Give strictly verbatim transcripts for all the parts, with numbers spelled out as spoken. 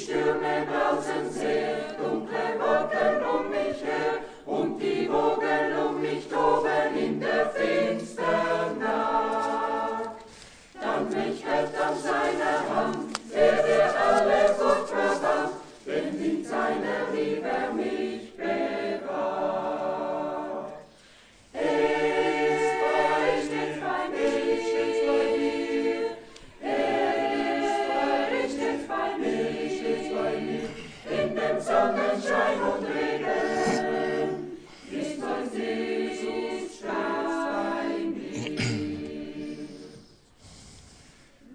Stürme brausen sehr, dunkle Wolken um mich her, und die Wogen um mich toben in der finstern Nacht. Dann mich hält an seiner Hand, der der alle Furcht verbannt, denn in seiner Liebe er mich bewahrt. Er ist bei, steht bei mir, steht bei mir. Er ist bei, steht bei mir, steht bei mir. In dem Sonnenschein und Regen ist mein Jesus stets bei mir.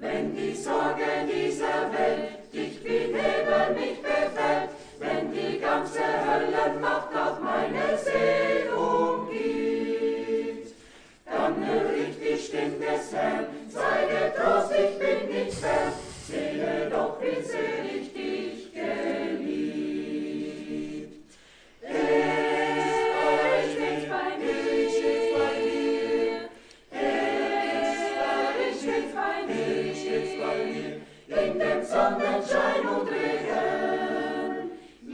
Wenn die Sorge dieser Welt dicht wie Nebel mich befällt, wenn die ganze Höllenmacht auf meine Seele umgeht, dann hör ich die Stimme des Herrn, sei getrost, ich bin nicht fern, sehe doch, wie sehr ich dich geliebt. Er steht bei mir, steht bei mir, er steht bei mir, steht bei mir, in dem Sonnenschein und Regen,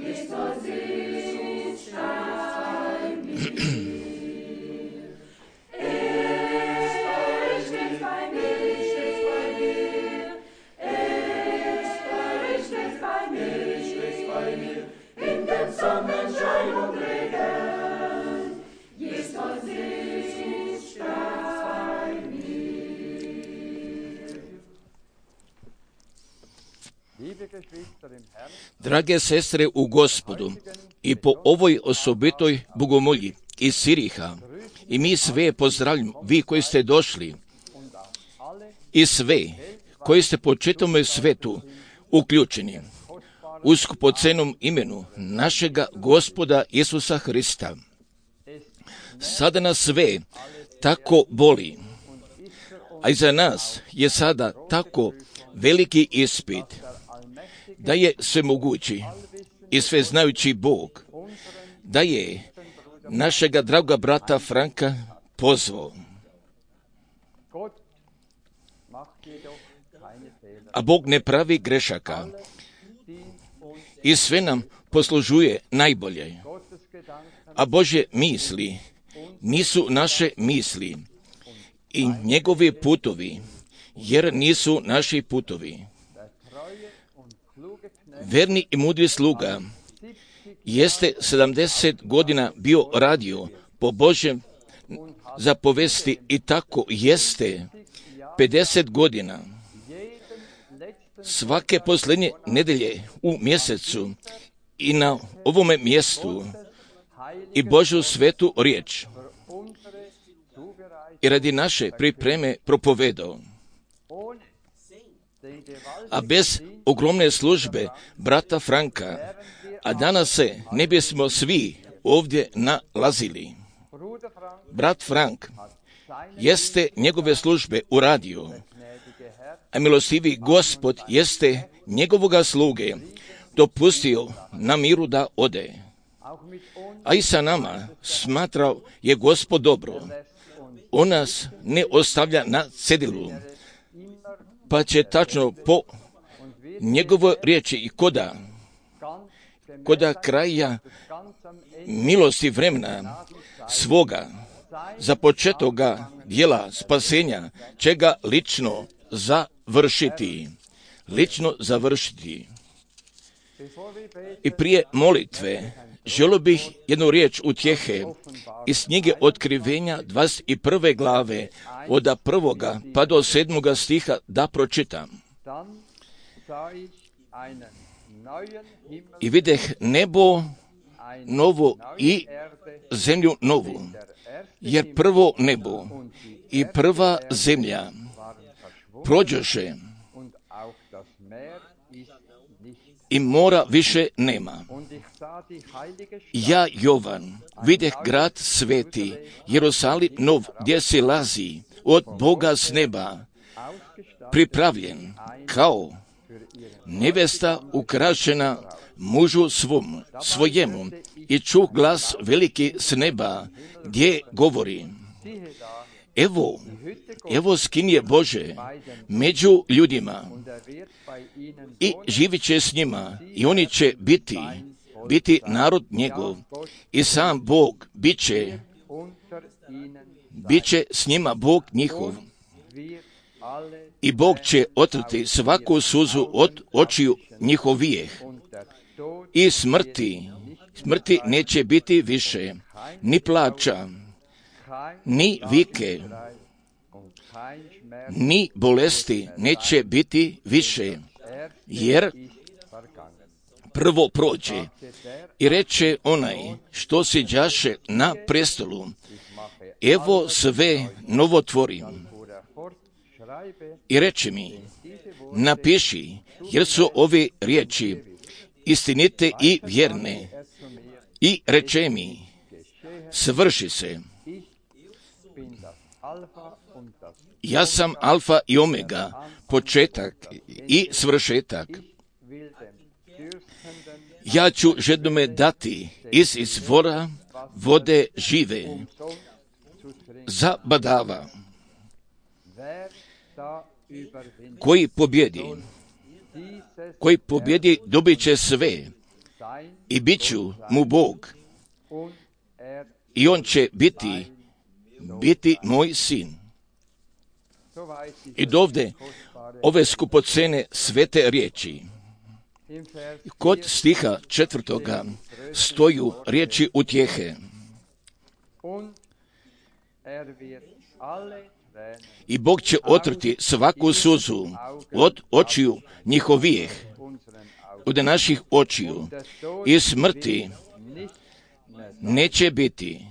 ist mein Jesus bei mir. Er steht bei mir, steht bei mir, er steht bei mir, steht bei mir, in dem Sonnenschein und Regen, ist mein Jesus bei mir. Drage sestre u Gospodu, i po ovoj osobitoj bogomolji iz Siriha, i mi sve pozdravljamo, vi koji ste došli, i sve koji ste po čitavom svetu uključeni u skupocenom imenu našega Gospoda Isusa Hrista. Sada nas sve tako boli, a i za nas je sada tako veliki ispit, da je svemogući i sveznajući Bog, da je našega draga brata Franka pozvao. A Bog ne pravi grešaka i sve nam poslužuje najbolje. A Božje misli nisu naše misli i njegovi putovi, jer nisu naši putovi. Verni i mudri sluga jeste sedamdeset godina bio radio po Božjem zapovesti i tako jeste pedeset godina. Svake posljednje nedelje u mjesecu i na ovome mjestu i Božju svetu riječ i radi naše pripreme propovedao. A bez ogromne službe brata Franka, a danas se ne bismo svi ovdje nalazili. Brat Frank jeste njegove službe uradio, a milostivi Gospod jeste njegovoga sluge dopustio na miru da ode. A i sa nama smatrao je Gospod dobro. On nas ne ostavlja na cedilu, pa će tačno po njegovoj riječi i koda, koda kraja milosti vremena svoga započetoga dijela spasenja će ga lično završiti. Lično završiti. I prije molitve želio bih jednu riječ utjehe iz knjige Otkrivenja dvadeset prve glave od prvoga pa do sedmoga stiha da pročitam. I videh nebo novo i zemlju novu, jer prvo nebo i prva zemlja prođoše i mora više nema. Ja, Jovan, videh grad sveti, Jerusalim nov, gdje se lazi od Boga s neba, pripravljen kao nevesta ukrašena mužu svom, svojemu, i čuh glas veliki s neba, gdje govori: evo, evo skinje Bože među ljudima i živit će s njima i oni će biti, biti narod njegov i sam Bog bit će, bit će s njima Bog njihov. I Bog će otrti svaku suzu od očiju njihovijeh. I smrti, smrti neće biti više, ni plača, ni vike, ni bolesti neće biti više, jer prvo prođe. I reče onaj što siđaše na prestolu, evo sve novo tvorim. I reče mi, napiši, jer su ove riječi istinite i vjerne. I reče mi, svrši se. Ja sam alfa i omega, početak i svršetak. Ja ću žednome dati iz izvora vode žive, zabadava. Koji pobjedi, koji pobjedi dobit će sve i bit ću mu Bog i on će biti, biti moj sin. I dovde ove skupocene svete riječi. Kod stiha četvrtoga stoju riječi utjehe. I Bog će otrti svaku suzu od očiju njihovijeh, od naših očiju, i smrti neće biti,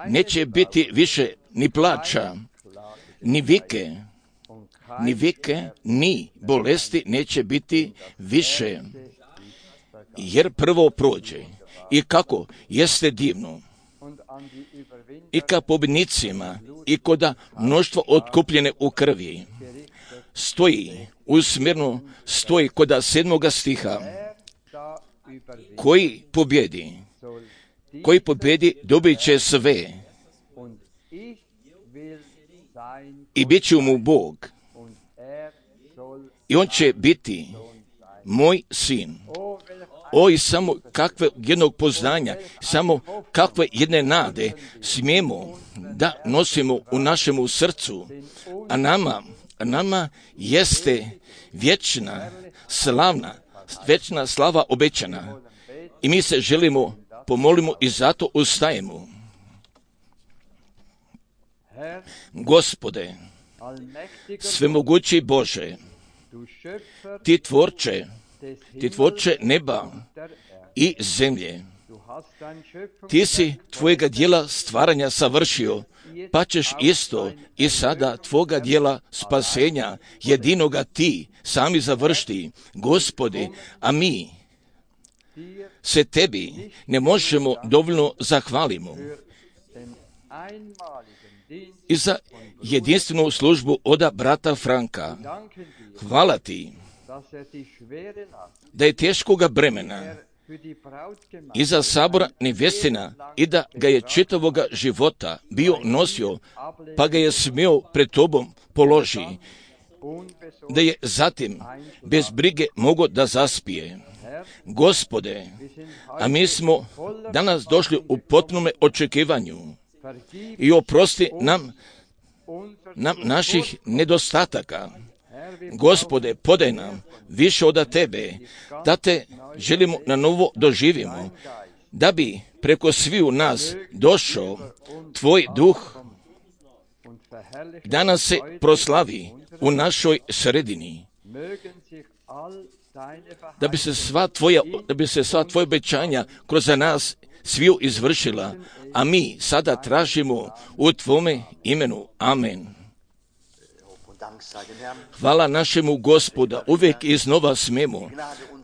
neće biti više ni plača, ni vike, ni vike, ni bolesti neće biti više, jer prvo prođe. I kako jeste divno. I ka pobjednicima i koda mnoštvo otkupljene u krvi stoji usmjerno, stoji koda sedmoga stiha, koji pobjedi, koji pobjedi dobit će sve i bit će mu Bog i on će biti moj sin. O, i samo kakve jednog poznanja, samo kakve jedne nade smijemo da nosimo u našemu srcu, a nama, a nama jeste vječna, slavna, vječna slava obećana. I mi se želimo, pomolimo i zato ustajemo. Gospode, svemogući Bože, ti tvorče, ti tvorče neba i zemlje. Ti si tvojega djela stvaranja savršio, pa ćeš isto i sada tvoga djela spasenja, jedinoga ti sami završiti, Gospode, a mi se tebi ne možemo dovoljno zahvalimo i za jedinstvenu službu oda brata Franka. Hvala ti da je teškoga bremena iza sabora nevjestina i da ga je čitavoga života bio nosio, pa ga je smio pred tobom položi, da je zatim bez brige mogao da zaspije. Gospode, a mi smo danas došli u potpunome očekivanju i oprosti nam, nam naših nedostataka. Gospode, podaj nam više od tebe, da te želimo na novo doživimo, da bi preko sviju nas došao tvoj duh, da nas se proslavi u našoj sredini, da bi se sva tvoja, da bi se sva tvoja obećanja kroz nas sviju izvršila, a mi sada tražimo u tvome imenu. Amen. Hvala našemu Gospoda, uvijek iznova smemo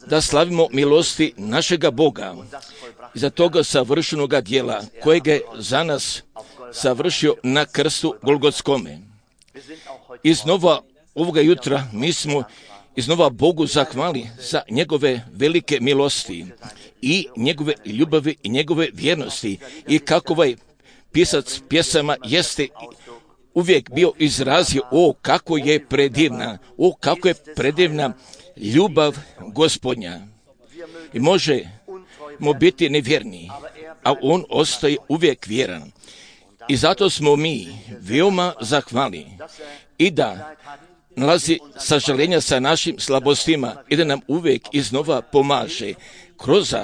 da slavimo milosti našega Boga i za toga savršenoga djela kojeg je za nas savršio na krstu Golgotskome. Iznova ovoga jutra mi smo iznova Bogu zahvali za njegove velike milosti i njegove ljubavi i njegove vjernosti i kako ovaj pisac pjesama jeste uvijek bio izrazio, o kako je predivna, o kako je predivna ljubav Gospodnja. I možemo biti nevjerni, a on ostaje uvijek vjeran. I zato smo mi veoma zahvalni i da nalazi sažaljenja sa našim slabostima i da nam uvijek iznova pomaže kroz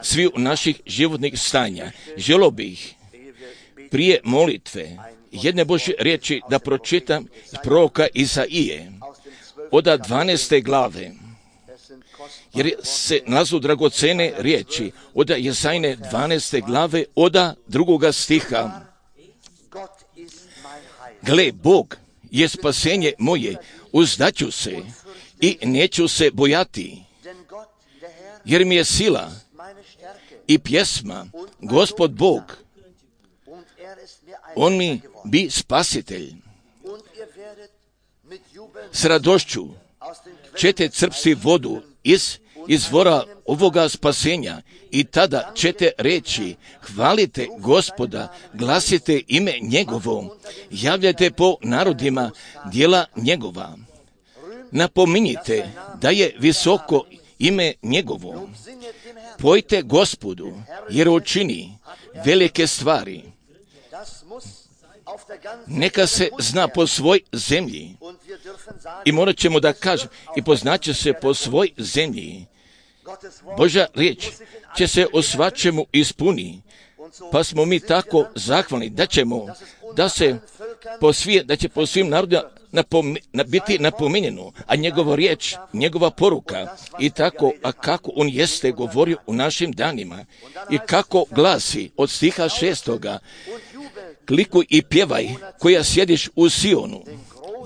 svi naših životnih stanja. Želio bih prije molitve jedne Božje riječi da pročitam iz proroka Izaije od dvanaeste glave, jer se nalazu dragocene riječi od Jezajine dvanaeste glave od drugoga stiha. Gle, Bog je spasenje moje, uzdaću se i neću se bojati, jer mi je sila i pjesma, Gospod Bog, on mi bi spasitelj. S radošću ćete crpsti vodu iz izvora ovoga spasenja i tada ćete reći, hvalite Gospoda, glasite ime njegovo, javljajte po narodima djela njegova. Napominjite da je visoko ime njegovo. Pojte Gospodu, jer učini velike stvari. Neka se zna po svoj zemlji. I morat ćemo da kažem, i poznaće se po svoj zemlji. Božja riječ će se o svačemu ispuni, pa smo mi tako zahvalni da ćemo, da se po svije, da će po svim narodima napome, biti napominjeno, a njegova riječ, njegova poruka i tako, a kako on jeste govorio u našim danima i kako glasi od stiha šestoga, klikuj i pjevaj koja sjediš u Sionu,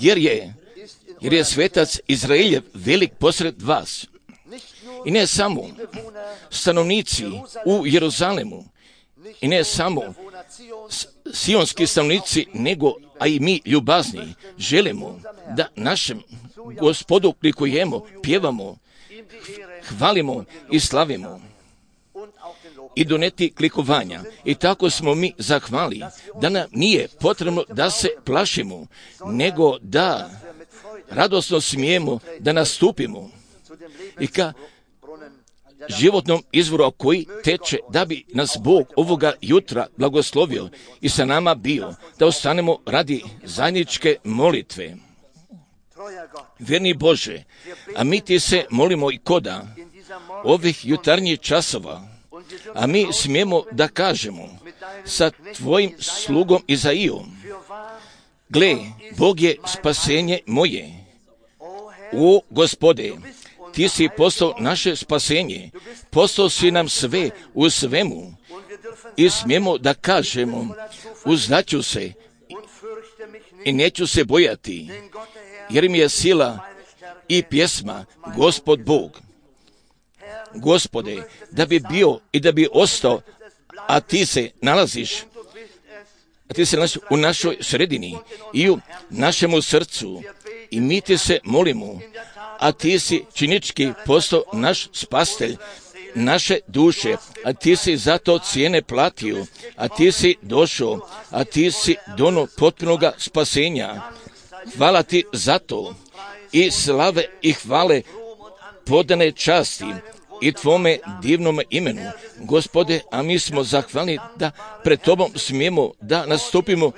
jer je, jer je svetac Izraeljev velik posred vas. I ne samo stanovnici u Jeruzalemu, i ne samo sionski stanovnici, nego a i mi ljubazni želimo da našem Gospodu klikujemo, pjevamo, hvalimo i slavimo i doneti klikovanja. I tako smo mi zahvali da nam nije potrebno da se plašimo, nego da radosno smijemo da nastupimo i ka životnom izvoru koji teče, da bi nas Bog ovoga jutra blagoslovio i sa nama bio, da ostanemo radi zajedničke molitve. Vjerni Bože, a mi ti se molimo i koda ovih jutarnjih časova, a mi smijemo da kažemo sa tvojim slugom Izaijom, gle, Bog je spasenje moje. O Gospode, ti si postao naše spasenje, postao si nam sve u svemu i smijemo da kažemo, uzdaću se i neću se bojati, jer mi je sila i pjesma Gospod Bog. Gospode, da bi bio i da bi ostao, a ti se nalaziš, a ti se nalaziš u našoj sredini i u našemu srcu i mi ti se molimo, a ti si činički postao naš spastelj, naše duše, a ti si zato cijene platio, a ti si došao, a ti si dono potpunoga spasenja. Hvala ti za to i slave i hvale podane časti i tvome divnom imenu. Gospode, a mi smo zahvalni da pred tobom smijemo da nastupimo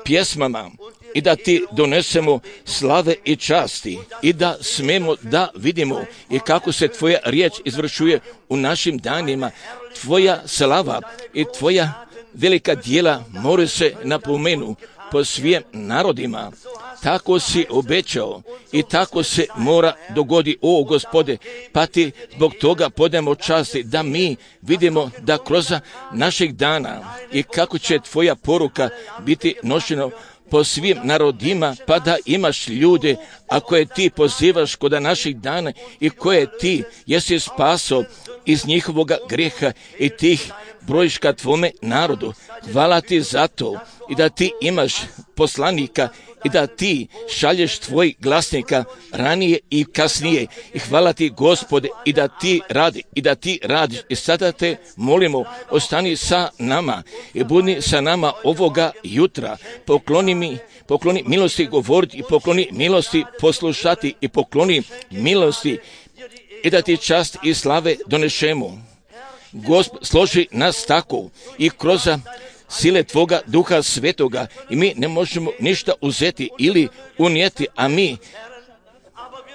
pjesmama i da ti donesemo slave i časti i da smemo da vidimo i kako se tvoja riječ izvršuje u našim danima. Tvoja slava i tvoja velika djela more se napomenu po svim narodima. Tako si obećao i tako se mora dogodi, o Gospode, pa ti zbog toga podajemo časti da mi vidimo da kroz naših dana i kako će tvoja poruka biti nošena po svim narodima, pa da imaš ljude, a koje ti pozivaš kod naših dana i koje ti jesi spaso iz njihovoga grijeha i tih brojiš ka tvome narodu. Hvala ti za to i da ti imaš poslanika i da ti šalješ tvoj glasnika ranije i kasnije. I hvala ti, Gospode, i da ti radi, i da ti radiš. I sada te molimo, ostani sa nama i budi sa nama ovoga jutra. Pokloni mi, pokloni milosti govoriti i pokloni milosti poslušati i pokloni milosti i da ti čast i slave donešemo. Gospod, složi nas tako i kroz sile Tvoga Duha Svetoga i mi ne možemo ništa uzeti ili unijeti, a mi,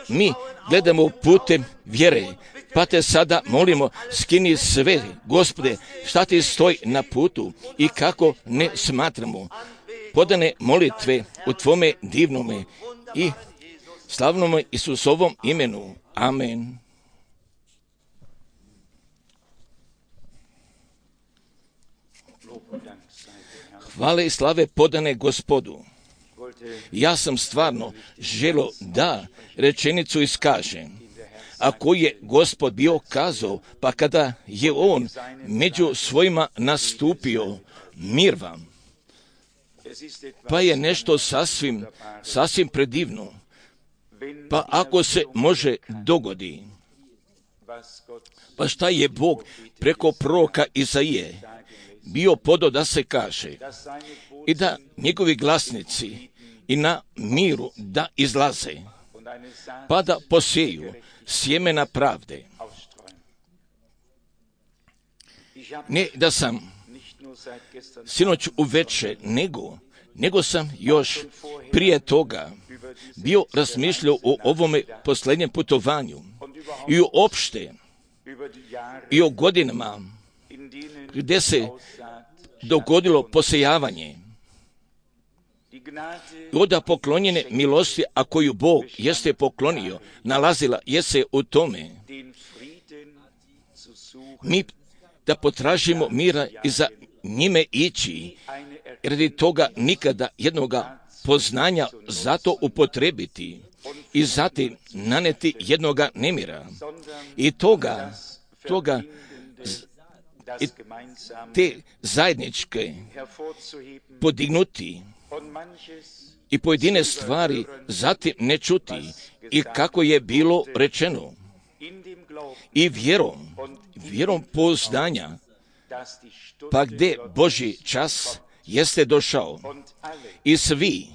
mi gledamo putem vjere. Pa te sada molimo, skini sve, Gospode, šta ti stoji na putu i kako ne smatramo. Podane molitve u Tvome divnome i slavnome Isusovom imenu. Amen. Hvale i slave podane Gospodu. Ja sam stvarno želio da rečenicu iskažem, a koju je Gospod bio kazao, pa kada je on među svojima nastupio, mir vam. Pa je nešto sasvim, sasvim predivno. Pa ako se može dogodi, pa šta je Bog preko proroka Izaije bio podao da se kaže i da njegovi glasnici i na miru da izlaze, pa da poseju sjemena pravde. Ne da sam sinoć uveče, nego, nego sam još prije toga bio razmišljao o ovome posljednjem putovanju i uopšte i o godinama gdje se dogodilo posejavanje. Oda poklonjene milosti, a koju Bog jeste poklonio, nalazila je se u tome. Mi da potražimo mira i za njime ići, radi toga nikada jednoga poznanja zato upotrebiti i zatim naneti jednoga nemira. I toga, toga i te zajedničke podignuti i pojedine stvari zatim ne čuti i kako je bilo rečeno i vjerom, vjerom pouzdanja, pa gdje Božji čas jeste došao i svi,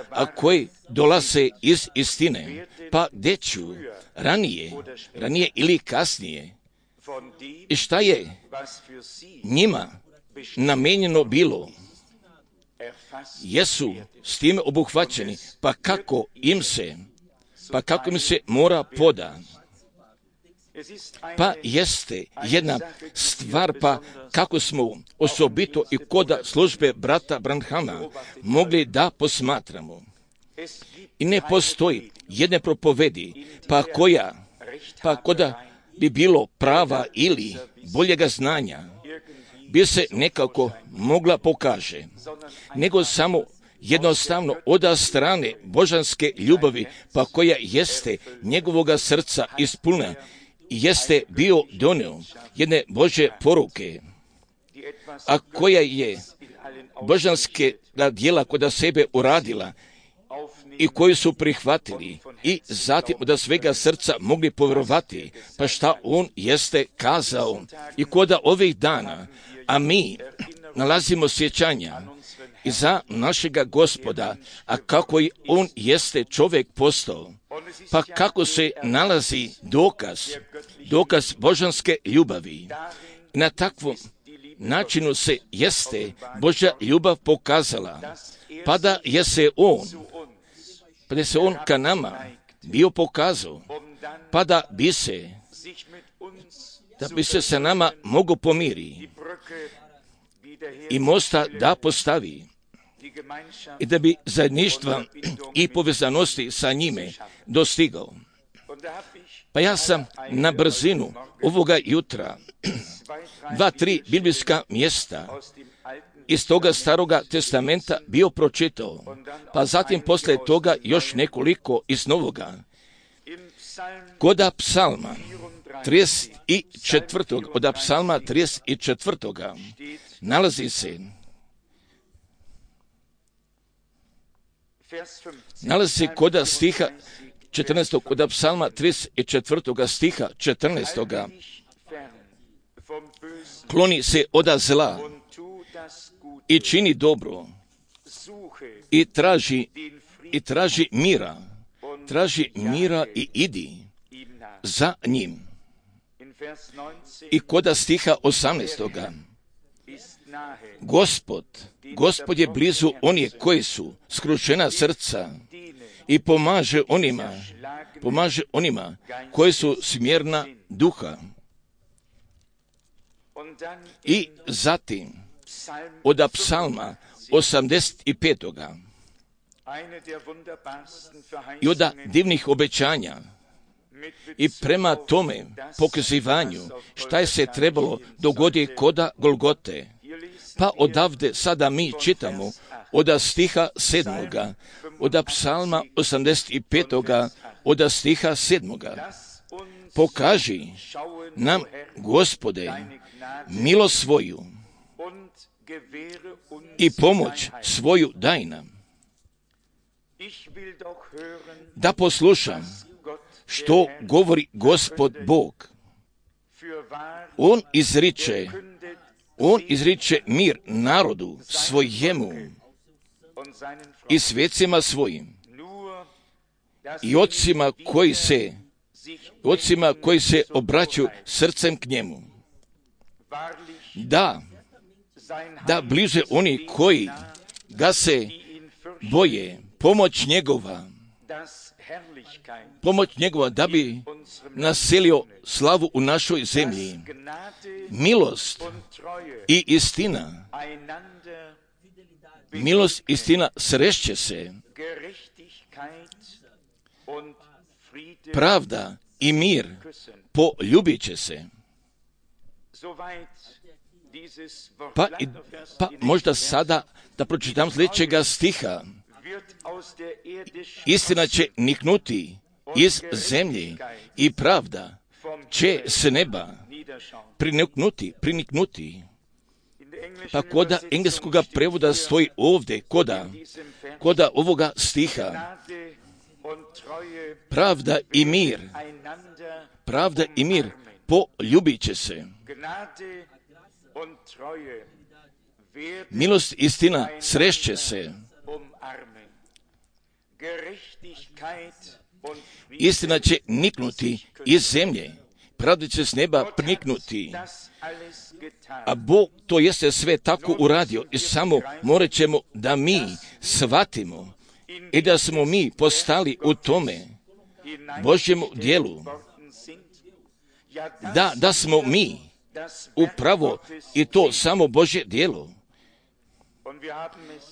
a koji dolaze iz istine, pa gdje ću ranije, ranije ili kasnije, i šta je njima namijenjeno bilo, jesu s time obuhvaćeni, pa kako im se, pa kako im se mora poda. Pa jeste jedna stvar, pa kako smo osobito i kod službe brata Branhama mogli da posmatramo. I ne postoji jedne propovedi, pa koja, pa koda bi bilo prava ili boljega znanja, bi se nekako mogla pokaže, nego samo jednostavno od strane božanske ljubavi, pa koja jeste njegovoga srca ispunjena, jeste bio donio jedne Božje poruke, a koja je božanske djela kod sebe uradila i koji su prihvatili i zatim od svega srca mogli povjerovati, pa šta on jeste kazao i kod ovih dana, a mi nalazimo sjećanja i za našega Gospoda, a kako i on jeste čovjek postao, pa kako se nalazi dokaz, dokaz božanske ljubavi. Na takvom načinu se jeste Božja ljubav pokazala, pa da je se on, pa da se on ka nama bio pokazao, pa da bi se, da bi se sa nama mogo pomiri i mosta da postavi i da bi zajedništva i povezanosti sa njime dostigao. Pa ja sam na brzinu ovoga jutra dva, tri biblijska mjesta iz toga staroga testamenta bio pročitao, pa zatim poslije toga još nekoliko iz novoga. Koda psalma trideset četvrtog od psalma trideset četvrtog nalazi se nalazi se kod stiha četrnaestog od psalma trideset četvrtog stiha četrnaestog kloni se od zla i čini dobro i traži i traži mira traži mira i idi za njim. I kod stiha osamnaestog Gospod, Gospod je blizu onih koji su skrušena srca i pomaže onima, pomaže onima koji su smjerna duha. I zatim od psalma osamdeset petog i od divnih obećanja i prema tome pokazivanju šta je se trebalo dogoditi koda Golgote. Pa odavde sada mi čitamo od stiha sedmoga, od psalma osamdeset petog od stiha sedmoga. Pokaži nam, Gospode, milost svoju i pomoć svoju daj nam. Da poslušam što govori Gospod Bog. On izriče, on izriče mir narodu svojemu i svecima svojim i ocima koji se, ocima koji se obraćaju srcem k njemu. Da, da bliže oni koji ga se boje, pomoć njegova, pomoć njegova da bi naselio slavu u našoj zemlji. Milost i istina, milost i istina srešće se. Pravda i mir poljubit će se. Pa, pa možda sada da pročitam sljedećega stiha. Istina će niknuti iz zemlje i pravda će s neba priniknuti, priniknuti. Pa koda engleskoga prevoda stoji ovdje, koda, koda ovoga stiha, pravda i mir, pravda i mir poljubit će se. Milost i istina srešće se. Istina će niknuti iz zemlje, pravda će s neba priniknuti. A Bog to jeste sve tako uradio i samo morat ćemo da mi shvatimo i da smo mi postali u tome Božjem dijelu. Da, da smo mi upravo i to samo Božje dijelo.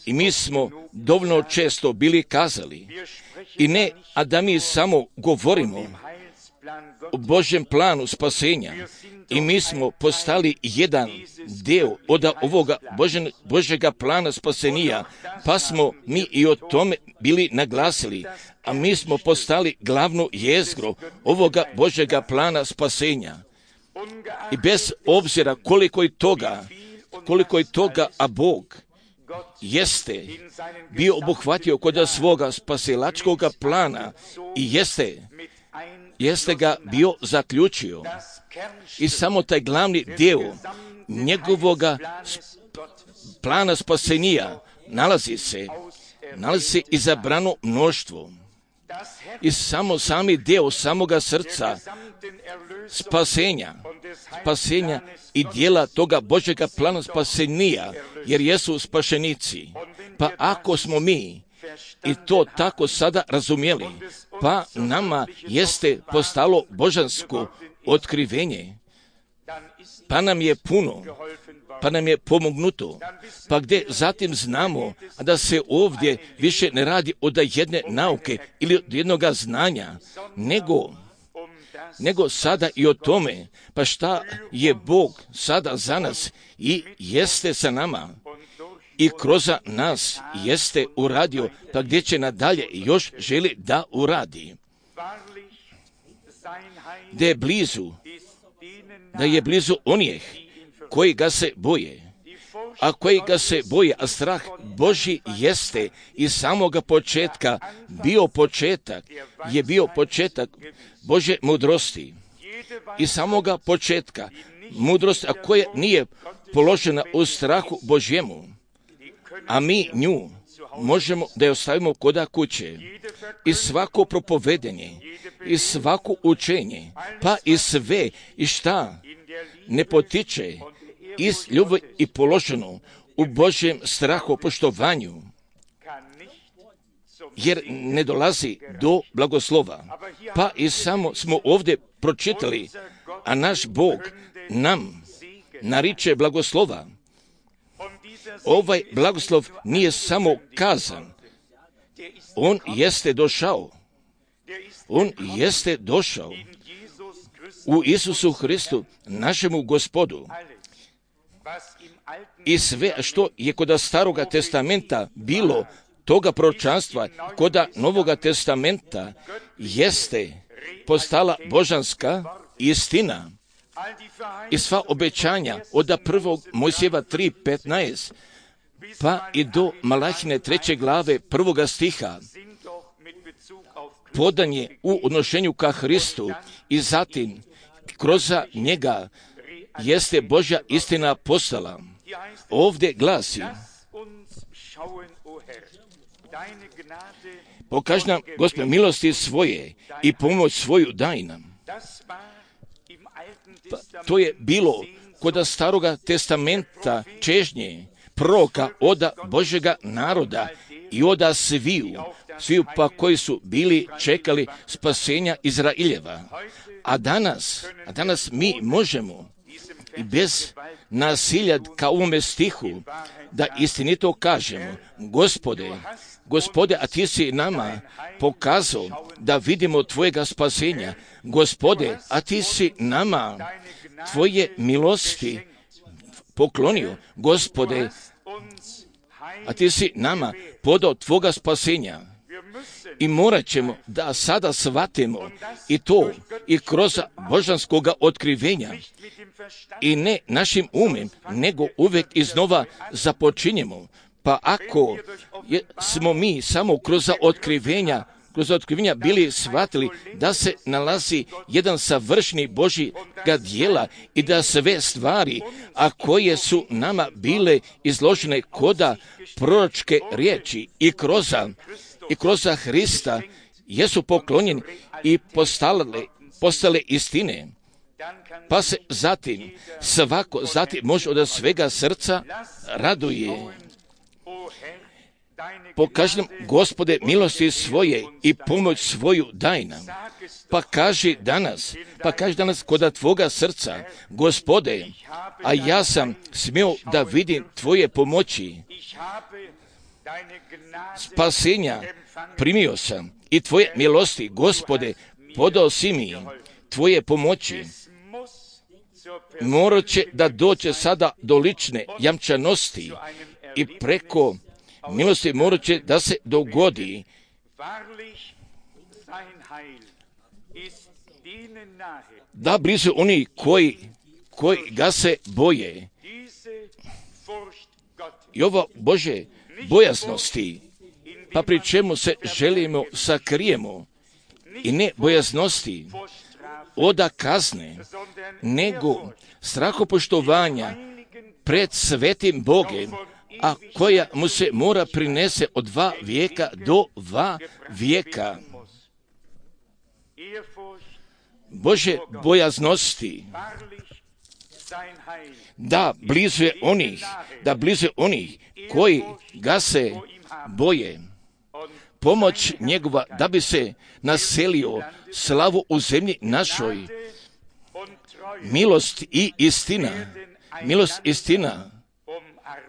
I mi smo dovoljno često bili kazali, i ne, a da mi samo govorimo o Božjem planu spasenja, i mi smo postali jedan dio od ovoga Božen, Božjega plana spasenja, pa smo mi i o tome bili naglasili, a mi smo postali glavnu jezgru ovoga Božjega plana spasenja. I bez obzira koliko je toga, koliko je toga, a Bog jeste bio obuhvatio kod svoga spasilačkog plana i jeste, jeste ga bio zaključio. I samo taj glavni dio njegovoga plana spasenja nalazi se, nalazi se izabrano mnoštvo. I samo sami dio samoga srca spasenja, spasenja i dijela toga Božjega plana spasenja, jer jesu spašenici. Pa ako smo mi i to tako sada razumjeli, pa nama jeste postalo božansko otkrivenje, pa nam je puno, pa nam je pomognuto, pa gdje zatim znamo da se ovdje više ne radi od jedne nauke ili od jednoga znanja, nego, nego sada i o tome, pa šta je Bog sada za nas i jeste sa nama i kroz nas jeste uradio, pa gdje će nadalje još želi da uradi. Gdje je blizu da je blizu onih koji ga se boje. A koji ga se boje, a strah Božji jeste iz samoga početka bio početak, je bio početak Božje mudrosti. Iz samoga početka mudrost, a koja nije položena u strahu Božjemu, a mi nju možemo da je ostavimo koda kuće. I svako propovedenje, i svako učenje, pa i sve, i šta ne potiče iz ljubavi i položeno u Božjem strahu poštovanju, jer ne dolazi do blagoslova. Pa i samo smo ovdje pročitali, a naš Bog nam nariče blagoslova. Ovaj blagoslov nije samo kazan, on jeste došao. On jeste došao u Isusu Hristu, našemu Gospodu. I sve što je kod Staroga testamenta bilo toga proročanstva, kod Novoga testamenta jeste postala božanska istina. I sva obećanja od prvog Mojsijeva tri petnaest pa i do Malahine treće glave prvoga stiha podan je u odnošenju ka Hristu i zatim kroz njega jeste Božja istina postala. Ovdje glasi: pokaži nam, Gospode, milosti svoje i pomoć svoju daj nam. Pa, to je bilo kod Staroga testamenta čežnje proroka oda Božjega naroda i oda sviju, sviju pa koji su bili čekali spasenja Izraeljeva. A danas, a danas mi možemo i bez nasilja ka ovome stihu da istinito kažemo: Gospode, Gospode, a ti si nama pokazao da vidimo tvojega spasenja. Gospode, a ti si nama tvoje milosti poklonio. Gospode, a ti si nama podao tvoga spasenja. I morat ćemo da sada shvatimo i to i kroz božanskoga otkrivenja i ne našim umem, nego uvijek iznova započinjemo. Pa ako je, smo mi samo kroz otkrivenja, kroz otkrivenja bili shvatili da se nalazi jedan savršeni Božjega djela i da sve stvari, a koje su nama bile izložene koda proročke riječi i kroz, i kroz Hrista jesu poklonjeni i postale, postale istine, pa se zatim svako zatim može od svega srca raduje. Pokaži nam, Gospode, milosti svoje i pomoć svoju daj nam. Pa kaži danas, pa kaži danas kod tvoga srca: Gospode, a ja sam smio da vidim tvoje pomoći. Spasenja primio sam i tvoje milosti, Gospode, podao si mi tvoje pomoći. Morat će da dođe sada do lične jamčanosti i preko milosti morat će da se dogodi da blizu oni koji, koji ga se boje. I ovo Bože bojaznosti, pa pri čemu se želimo sakrijemo, i ne bojaznosti oda kazne, nego strahopoštovanja pred svetim Bogem, a koja mu se mora prinese od dva vijeka do dva vijeka. Bože bojaznosti, da blizu je onih, da blizu je onih koji ga se boje. Pomoć njegova da bi se naselio slavu u zemlji našoj. Milost i istina, milost i istina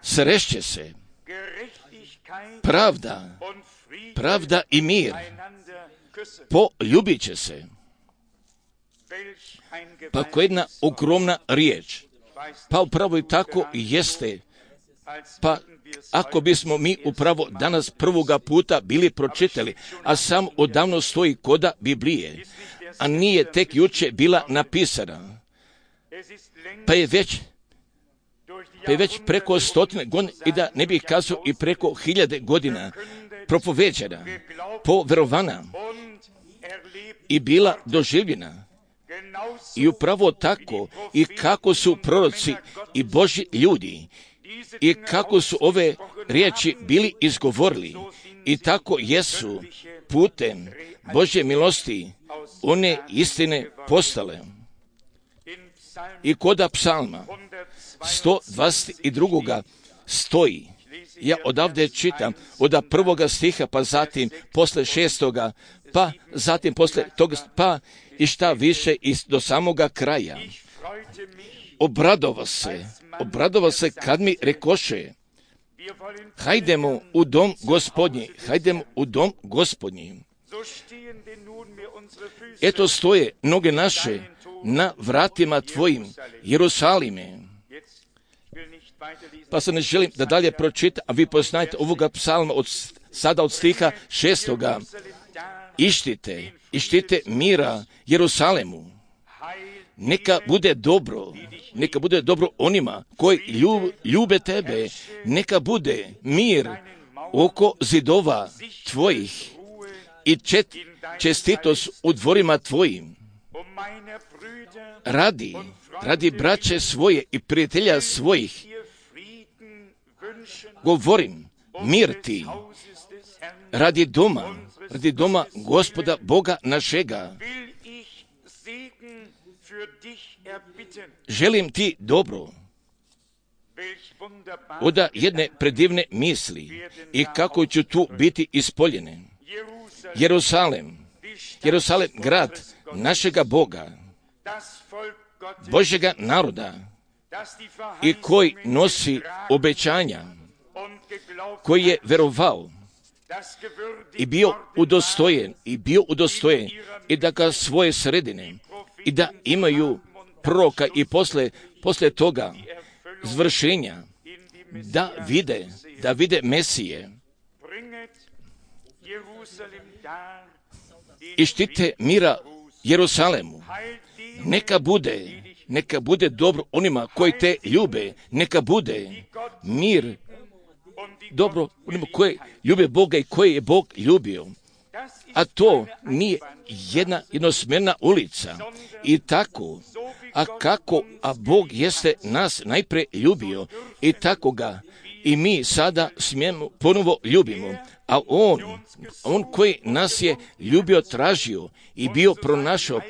srešće se. Pravda, pravda i mir poljubit će se. Pa koja jedna ogromna riječ. Pa upravo i tako jeste. Pa ako bismo mi upravo danas prvoga puta bili pročitali, a sam odavno stoji koda Biblije, a nije tek juče bila napisana. pa je već pa je već preko stotine godina, i da ne bih kazao i preko hiljade godina propoveđena, poverovana i bila doživljena. I upravo tako i kako su proroci i Božji ljudi i kako su ove riječi bili izgovorili, i tako jesu putem Božje milosti one istine postale. I koda psalma sto dvadeset dva stoji, ja odavde čitam od prvoga stiha, pa zatim posle šestoga, pa zatim posle toga, pa i šta više i do samoga kraja. Obradova se, obradova se kad mi rekoše, hajdemo u dom Gospodnji, hajdemo u dom Gospodnji. Eto stoje noge naše na vratima tvojim, Jerusalime. Pa se ne želim da dalje pročitam, a vi poznajete ovoga psalma od, sada od stiha šestoga. Ištite, ištite mira Jerusalemu. Neka bude dobro, neka bude dobro onima koji ljub, ljube tebe. Neka bude mir oko zidova tvojih i čet, čestitost u dvorima tvojim. Radi, radi braće svoje i prijatelja svojih govorim, mir ti, radi doma, radi doma Gospoda Boga našega. Želim ti dobro. Oda jedne predivne misli i kako ću tu biti ispoljene. Jerusalem, Jerusalem, grad našega Boga, Božjega naroda, i koji nosi obećanja, koji je verovao i bio udostojen, i bio udostojen i da ga svoje sredine, i da imaju proroka i posle, posle toga zvršenja, da vide, da vide Mesije. I štite mira Jerusalemu. Neka bude, neka bude dobro onima koji te ljube, neka bude mir dobro onima koji ljube Boga i koji je Bog ljubio. A to nije jedna jednosmjerna ulica. I tako, a kako, a Bog jeste nas najpre ljubio, i tako ga i mi sada smijemo ponovo ljubimo. A On, On koji nas je ljubio, tražio i bio pronašao,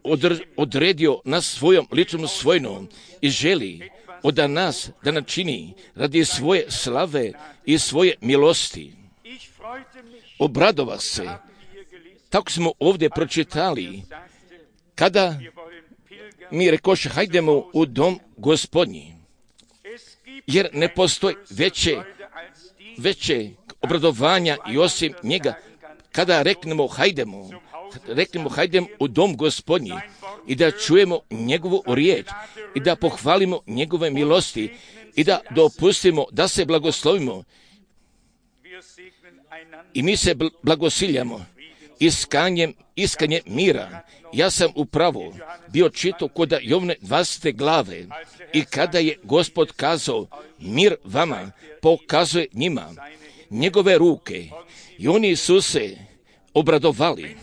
odr, odredio nas svojom ličnom svojnom i želi od nas da načini radi svoje slave i svoje milosti. Obradova se, tako smo ovdje pročitali, kada mi rekoše, hajdemo u dom Gospodnji, jer ne postoji veće, veće obradovanja i osim njega, kada reknemo hajdemo, reknemo hajdemo u dom Gospodnji i da čujemo njegovu riječ i da pohvalimo njegove milosti i da dopustimo da se blagoslovimo. I mi se blagosiljamo iskanjem, iskanjem mira. Ja sam upravo bio čitao kod Jovne dvadesete glave i kada je Gospod kazao mir vama, pokazuje njima njegove ruke i oni su se obradovali.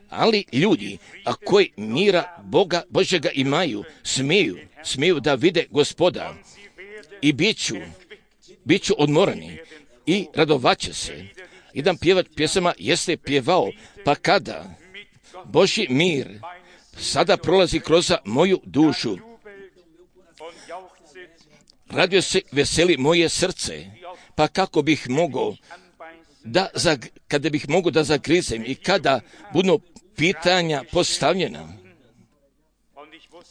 Ali ljudi, a koji mira Boga Božjega imaju, smiju, smiju da vide Gospoda i bit ću, bit ću odmorani i radovaće se. Jedan pjevač pjesama jeste pjevao, pa kada Božji mir sada prolazi kroz moju dušu, radio se veseli moje srce, pa kako bih mogao da, kada bih mogao da zagrizem i kada budu pitanja postavljena.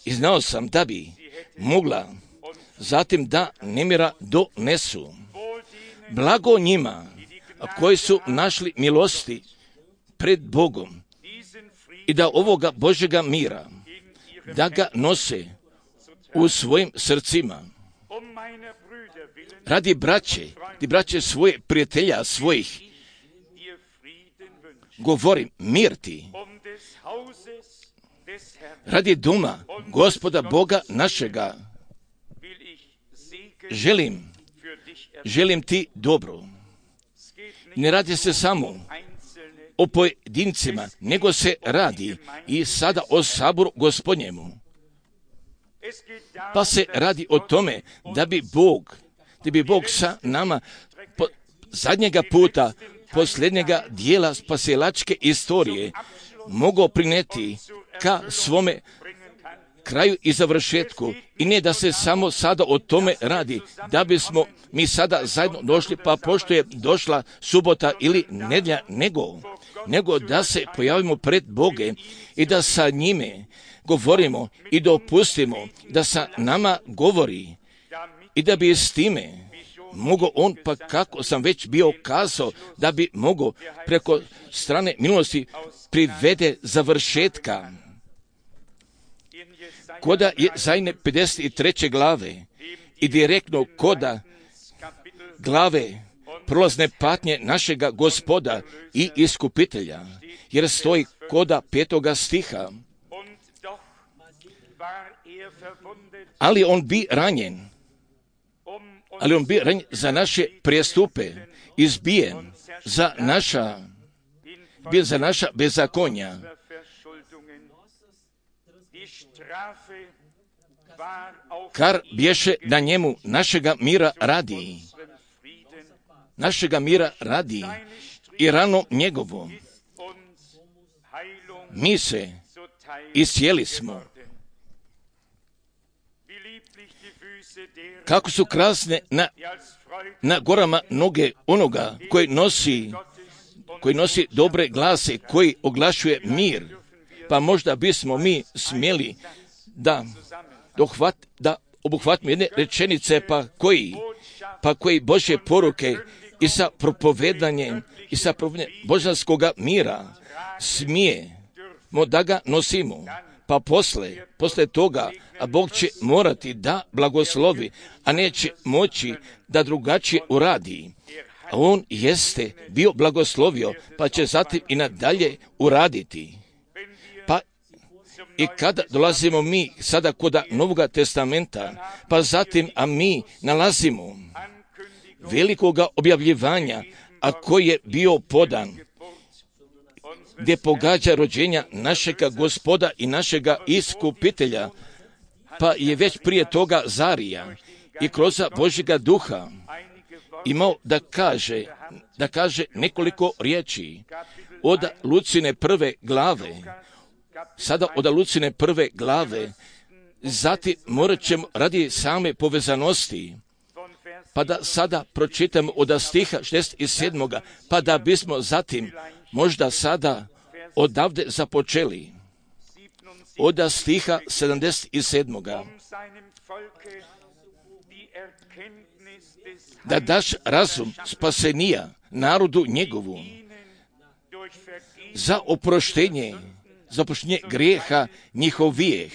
I znao sam da bi mogla zatim da nemira donesu. Blago njima koji su našli milosti pred Bogom i da ovoga Božjega mira, da ga nose u svojim srcima. Radi braće, radi braće svoje prijatelja svojih, govorim mir ti, radi doma Gospoda Boga našega. Želim, želim ti dobro. Ne radi se samo o pojedincima, nego se radi i sada o saboru Gospodnjemu. Pa se radi o tome da bi Bog, da bi Bog sa nama po zadnjega puta, posljednjega dijela spasilačke istorije mogao prineti ka svome kraju i završetku, i ne da se samo sada o tome radi, da bismo mi sada zajedno došli, pa pošto je došla subota ili nedjelja, nego, nego da se pojavimo pred Boge i da sa njime govorimo i dopustimo da sa nama govori, i da bi s time mogao on, pa kako sam već bio kazao, da bi mogao preko strane milosti privede završetka. Koda je Jezajne pedeset treće glave i direktno koda glave prolazne patnje našega Gospoda i Iskupitelja, jer stoji koda petoga stiha. Ali on bi ranjen, ali on bi ranjen za naše prijestupe, izbijen za naša, bijen za naša bezakonja. Kar bješe na njemu našega mira radi, našega mira radi i rano njegovo mi se iscijeli smo. Kako su krasne na, na gorama noge onoga koji nosi, koji nosi dobre glase, koji oglašuje mir. Pa možda bismo mi smjeli da, dohvat, da obuhvatimo jedne rečenice, pa koji, pa koji Božje poruke i sa propovedanjem i sa propovedanjem božanskoga mira smijemo da ga nosimo. Pa posle, posle toga, a Bog će morati da blagoslovi, a neće moći da drugačije uradi. A on jeste bio blagoslovio, pa će zatim i nadalje uraditi. Pa i kada dolazimo mi sada kod Novoga testamenta, pa zatim, a mi nalazimo velikoga objavljivanja, a koji je bio podan, gdje pogađa rođenja našega Gospoda i našega Iskupitelja, pa je već prije toga Zarija i kroz Božjega duha imao da kaže, da kaže nekoliko riječi od Lucine prve glave, sada od Lucine prve glave, zatim morat ćemo radi same povezanosti, pa da sada pročitamo od stiha šezdeset sedam. Pa da bismo zatim možda sada odavde započeli od stiha sedamdeset sedam. Da daš razum spasenija narodu njegovu za oproštenje, za oproštenje grijeha njihovijeh.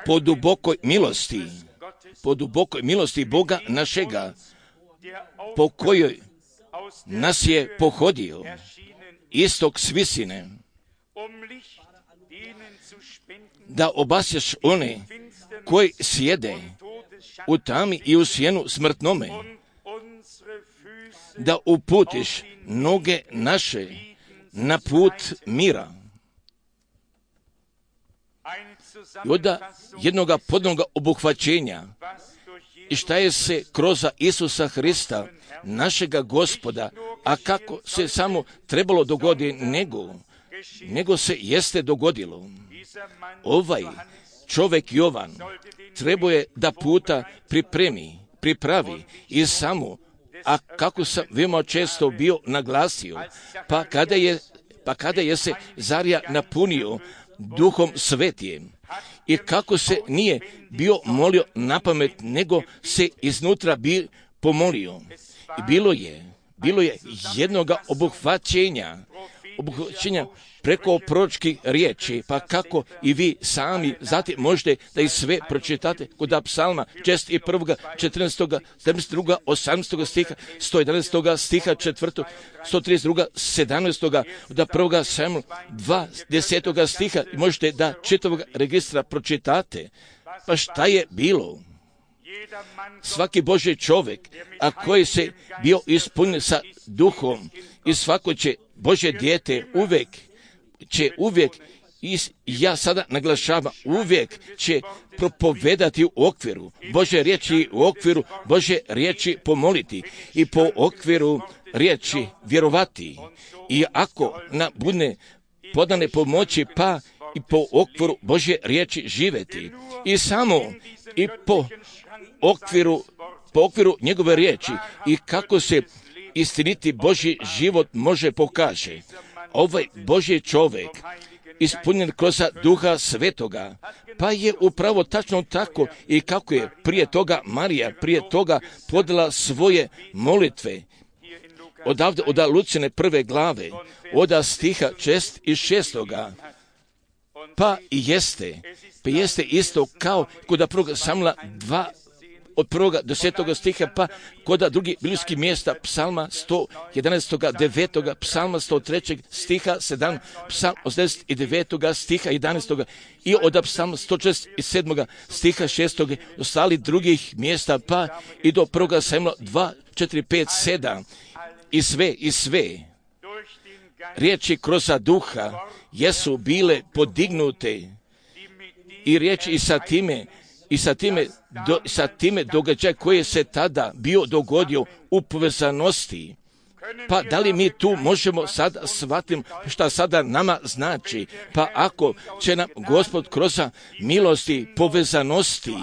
Po dubokoj milosti, po dubokoj milosti Boga našega, po kojoj nas je pohodio istok svisine, da obasješ one koji sjede u tami i u sjenu smrtnome, da uputiš noge naše na put mira. I od jednoga podnoga obuhvaćenja, i šta je se kroz Isusa Hrista, našega Gospoda, a kako se samo trebalo dogoditi, nego, nego se jeste dogodilo. Ovaj čovjek Jovan trebao je da puta pripremi, pripravi i samo, a kako sam veoma često bio naglasio, pa kada je, pa kada je se Zarija napunio Duhom Svetijem, i kako se nije bio molio na pamet, nego se iznutra bi pomolio. I bilo je, bilo je jednoga obuhvaćenja obuhvaćenja preko proročkih riječi, pa kako i vi sami zatim možete da i sve pročitate kod psalma šezdeset jedan, četrnaest, sedamdeset dva, osamnaest stiha, sto jedanaest stiha, četvrto, sto trideset dva, sedamnaest, da prvoga Samuel dva, deset stiha, i možete da čitavog registra pročitate. Pa šta je bilo? Svaki Božji čovjek, a koji se bio ispunjen sa duhom, i svako će Božje dijete uvijek će uvijek, i ja sada naglašavam, uvijek će propovedati u okviru Božje riječi, u okviru Božje riječi pomoliti i po okviru riječi vjerovati. I ako nam bude podane pomoći, pa i po okviru Božje riječi živjeti. I samo i po okviru, po okviru njegove riječi i kako se istiniti Božji život može pokaže. Ovaj Božji čovjek ispunjen kroz Duha Svetoga, pa je upravo tačno tako i kako je prije toga Marija, prije toga podala svoje molitve. Odavde, od Lucine prve glave, od stiha šest i šestoga, pa i jeste, pa jeste isto kao kod prvog Samuela dva, od prvoga do desetoga stiha, pa kod drugih biblijskih mjesta, psalma sto jedanaest, devetoga, psalma sto tri stiha sedam, psalm osamdeset devetog stiha jedanaest i od psalma sto četrdeset sedam stiha šestog, ostali drugih mjesta, pa i do prvoga Samuela dva, četiri, pet, sedam, i sve, i sve riječi kroz duha jesu bile podignute i riječi i sa time i sa time, do, sa time događaj koji se tada bio dogodio u povezanosti. Pa da li mi tu možemo sad shvatiti šta sada nama znači? Pa ako će nam Gospod kroz milosti, povezanosti,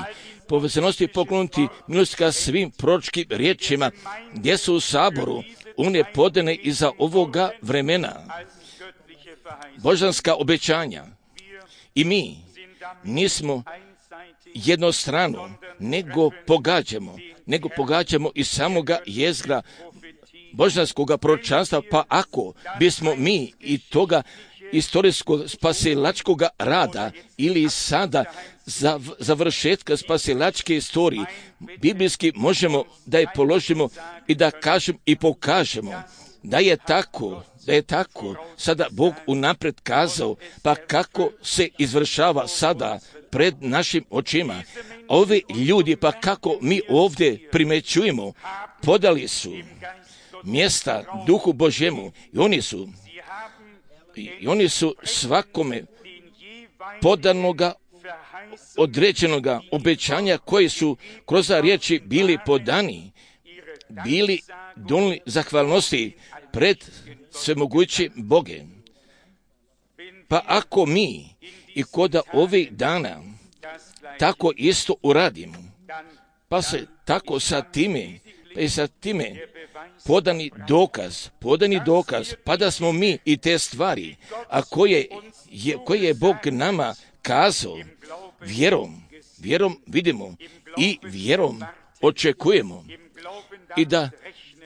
povezanosti pokloniti milosti ka svim proročkim riječima gdje su u saboru, one podane iza ovoga vremena, božanska obećanja. I mi nismo jednostrano, nego pogađamo, nego pogađamo iz samoga jezgra božanskoga proročanstva, pa ako bismo mi i toga istorijskog spasilačkog rada ili sada za završetka spasilačke istorije, biblijski možemo da je položimo i da kažem i pokažemo da je tako, da je tako sada Bog unaprijed kazao, pa kako se izvršava sada pred našim očima. Ovi ljudi, pa kako mi ovdje primećujemo, podali su mjesta Duhu Božjemu i oni su i oni su svakome podanoga određenoga obećanja koji su kroz riječi bili podani, bili donijeli zahvalnosti pred svemogućim Bogem. Pa ako mi i kod ovih dana tako isto uradimo, pa se tako sa time, pa i sa time podani dokaz, podani dokaz, pa da smo mi i te stvari, a koje je, koje je Bog nama kazao, vjerom, vjerom vidimo i vjerom očekujemo i da,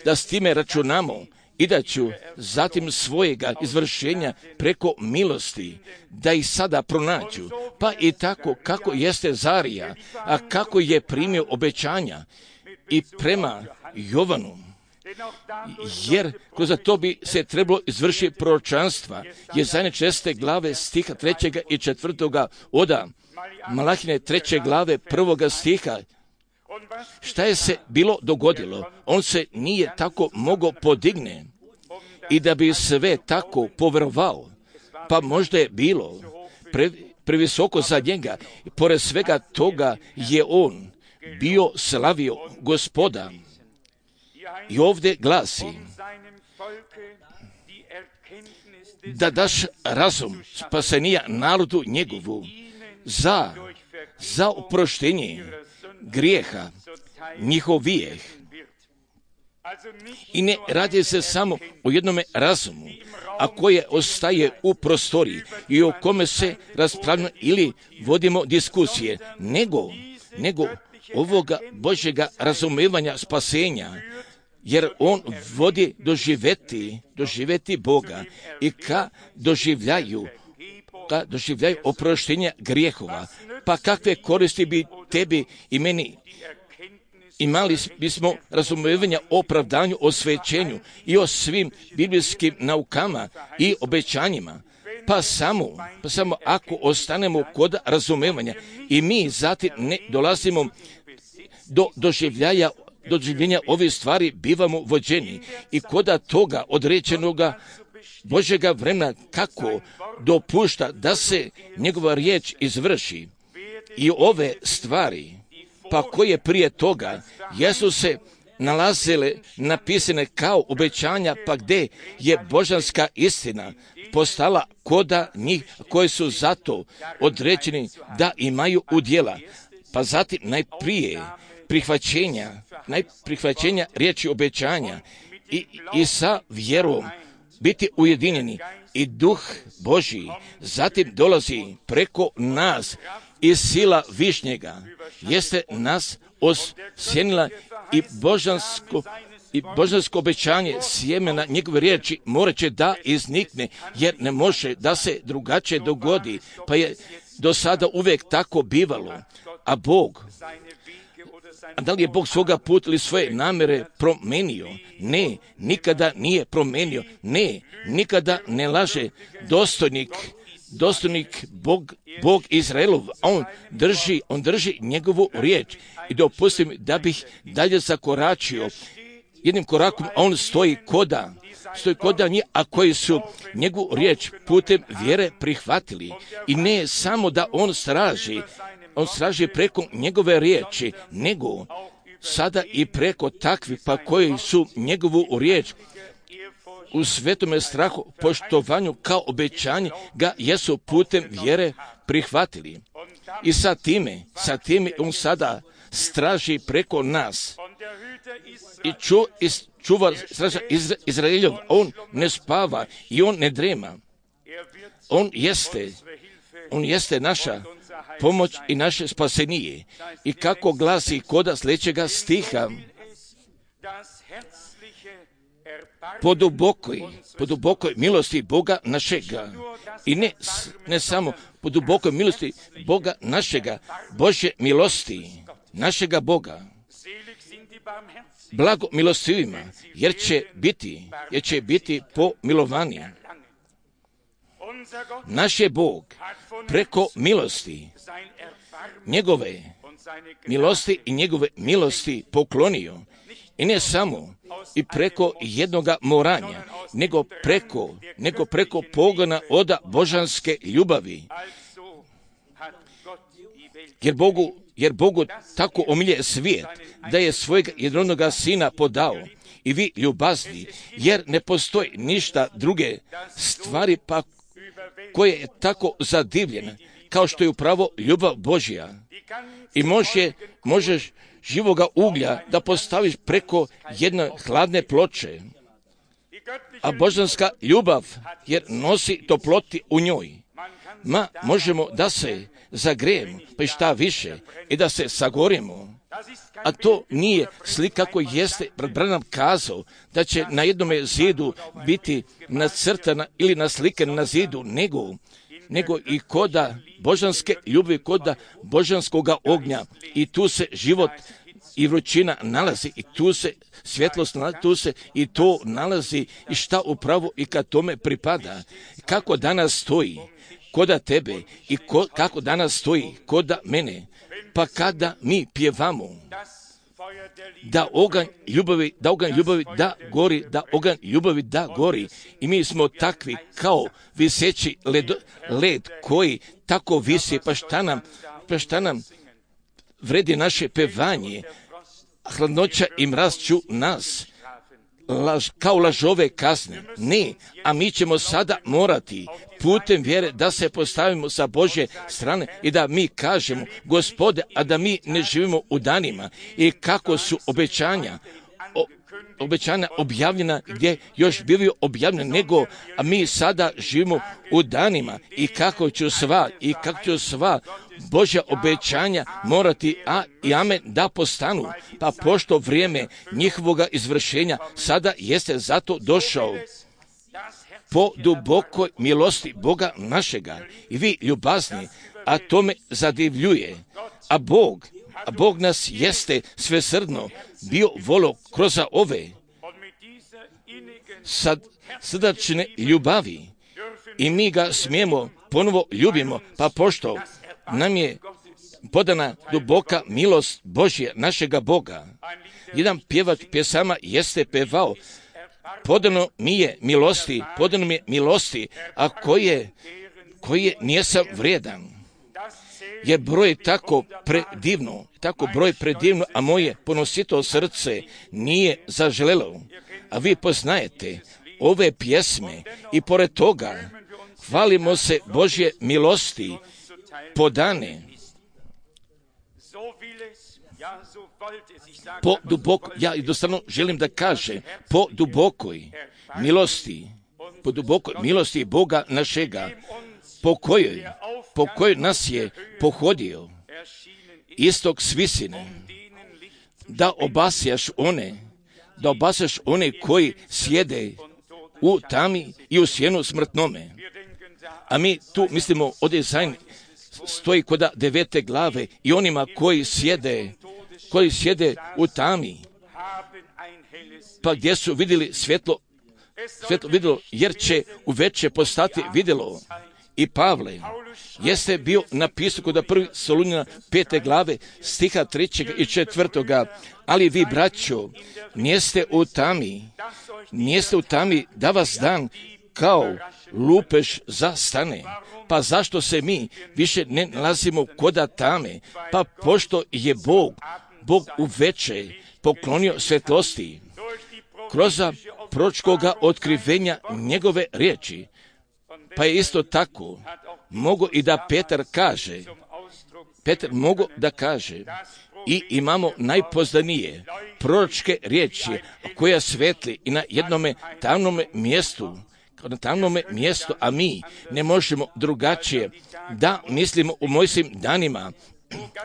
da s time računamo i da ću zatim svojega izvršenja preko milosti da ih sada pronađu, pa i tako kako jeste Zarija, a kako je primio obećanja i prema Jovanu, jer kroz to bi se trebalo izvršiti proročanstva, je zadnje česte glave stiha trećega i četvrtoga oda Malahine treće glave prvoga stiha. Šta je se bilo dogodilo? On se nije tako mogao podigne i da bi sve tako povjerovao, pa možda je bilo pre, previsoko za njega. Pored svega toga je on bio slavio Gospoda. I ovdje glasi da daš razum spasenija narodu njegovu za, za oproštenje grijeha njihovijeh. I ne radi se samo o jednome razumu, a koje ostaje u prostoriji i o kome se raspravljamo ili vodimo diskusije, nego, nego ovoga Božjega razumevanja spasenja jer on vodi doživjeti, doživjeti Boga i ka doživljaju, ka doživljaju oproštenja grijehova. Pa kakve koristi bi tebi i meni imali bismo razumijevanja o opravdanju, o svećenju i o svim biblijskim naukama i obećanjima. Pa samo, pa samo ako ostanemo kod razumevanja i mi zatim ne dolazimo do doživljaja, doživljenja ovih stvari, bivamo vođeni i koda toga određenoga Božjega vremena kako dopušta da se njegova riječ izvrši. I ove stvari, pa koje prije toga jesu se nalazile napisane kao obećanja, pa gdje je božanska istina postala koda njih koji su zato određeni da imaju udjela. Pa zatim najprije prihvaćenja, najprihvaćenja riječi obećanja i, i sa vjerom biti ujedinjeni i Duh Božji zatim dolazi preko nas i sila višnjega jeste nas osjenila i božansko i božansko obećanje sjemena njegove riječi morat će da iznikne, jer ne može da se drugačije dogodi, pa je do sada uvijek tako bivalo. A Bog, a da li je Bog svoga puta ili svoje namjere promenio? Ne, nikada nije promenio. Ne, nikada ne laže. Dostojnik, dostojnik Bog, Bog Izraelov, on drži, on drži njegovu riječ. I dopustim da bih dalje zakoračio jednim korakom, on stoji koda, stoji koda njih, a koji su njegovu riječ putem vjere prihvatili. I ne samo da on straži, on straži preko njegove riječi, nego sada i preko takvih pa koji su njegovu riječ u svetome strahu, poštovanju kao obećanje ga jesu putem vjere prihvatili. I sa time, sa time on sada straži preko nas. I ču, is, čuva straža Izra, Izraeljov, on ne spava i on ne drema. On jeste, on jeste naša pomoć i naše spasenije. I kako glasi koda sljedećega stiha, po dubokoj, po dubokoj milosti Boga našega. I ne, ne samo po dubokoj milosti Boga našega, Božje milosti, našega Boga. Blago milostivima, jer će biti, jer će biti pomilovani. Naš je Bog preko milosti njegove milosti i njegove milosti poklonio. I ne samo i preko jednoga moranja, nego preko, nego preko pogona oda božanske ljubavi. Jer Bogu, jer Bogu tako omilje svijet, da je svojeg jednoga sina podao. I vi ljubazni, jer ne postoji ništa druge stvari pa koje je tako zadivljena, kao što je upravo ljubav Božja. I može, možeš živoga uglja da postaviš preko jedne hladne ploče. A božanska ljubav, jer nosi toploti u njoj. Ma možemo da se zagrejemo, pa i šta više, i da se sagorimo. A to nije slika koji jeste Branham kazao da će na jednome zidu biti nacrtana ili naslikana na zidu, nego, nego i koda božanske ljubavi, koda božanskoga ognja. I tu se život i vrućina nalazi, i tu se svjetlost nalazi, tu se i to nalazi, i šta upravo i kad tome pripada. Kako danas stoji koda tebe i ko, kako danas stoji koda mene. Pa kada mi pjevamo da oganj ljubavi, da oganj ljubavi da gori, da oganj ljubavi da gori, i mi smo takvi kao viseći led, led koji tako visi, pa šta nam, pa šta nam vredi naše pevanje, hladnoća i mraz ću nas laž, kao lažove kazne. Ne, a mi ćemo sada morati putem vjere da se postavimo sa Božje strane i da mi kažemo, Gospode, a da mi ne živimo u danima i kako su obećanja o, obećanja objavljena, gdje još bivaju objavljena, nego a mi sada živimo u danima i kako ću sva i kako ću sva Božja obećanja morati a i amen da postanu, pa pošto vrijeme njihovoga izvršenja sada jeste zato došao po dubokoj milosti Boga našega i vi ljubazni, a to me zadivljuje, a Bog, a Bog nas jeste svesrdno bio volo kroz ove sad srdačne ljubavi i mi ga smijemo ponovo ljubimo, pa pošto nam je podana duboka milost Božje našega Boga. Jedan pjevač pjesama jeste pevao, podano mi je milosti, podano mi je milosti, a koje, koje nijesam vrijedan. Je broj tako predivno, tako broj predivno, a moje ponosito srce nije zaželelo. A vi poznajete ove pjesme i pored toga hvalimo se Božje milosti podane po duboko, ja jednostavno želim da kažem, po dubokoj milosti, po dubokoj milosti Boga našega, po kojoj, po kojoj nas je pohodio istok svisine, da obasjaš one, da obasjaš one koji sjede u tami i u sjenu smrtnome. A mi tu mislimo o dizajn stoji kod devete glave i onima koji sjede, koji sjede u tami, pa gdje su vidjeli svjetlo, svjetlo vidjelo, jer će uveče postati vidjelo. I Pavle jeste bio napisao kod prvi Solunjana pete glave stiha trećeg i četvrtoga, ali vi braćo nijeste u tami, nijeste u tami da vas dan kao lupež zastane. Pa zašto se mi više ne nalazimo koda tame? Pa pošto je Bog, Bog uveče poklonio svjetlosti kroz proročkoga otkrivenja njegove riječi. Pa je isto tako mogu i da Petar kaže, Petar mogu da kaže i imamo najpoznanije proročke riječi koja svetli i na jednome tamnome mjestu, na tamnome mjestu, a mi ne možemo drugačije da mislimo u Mojsijim danima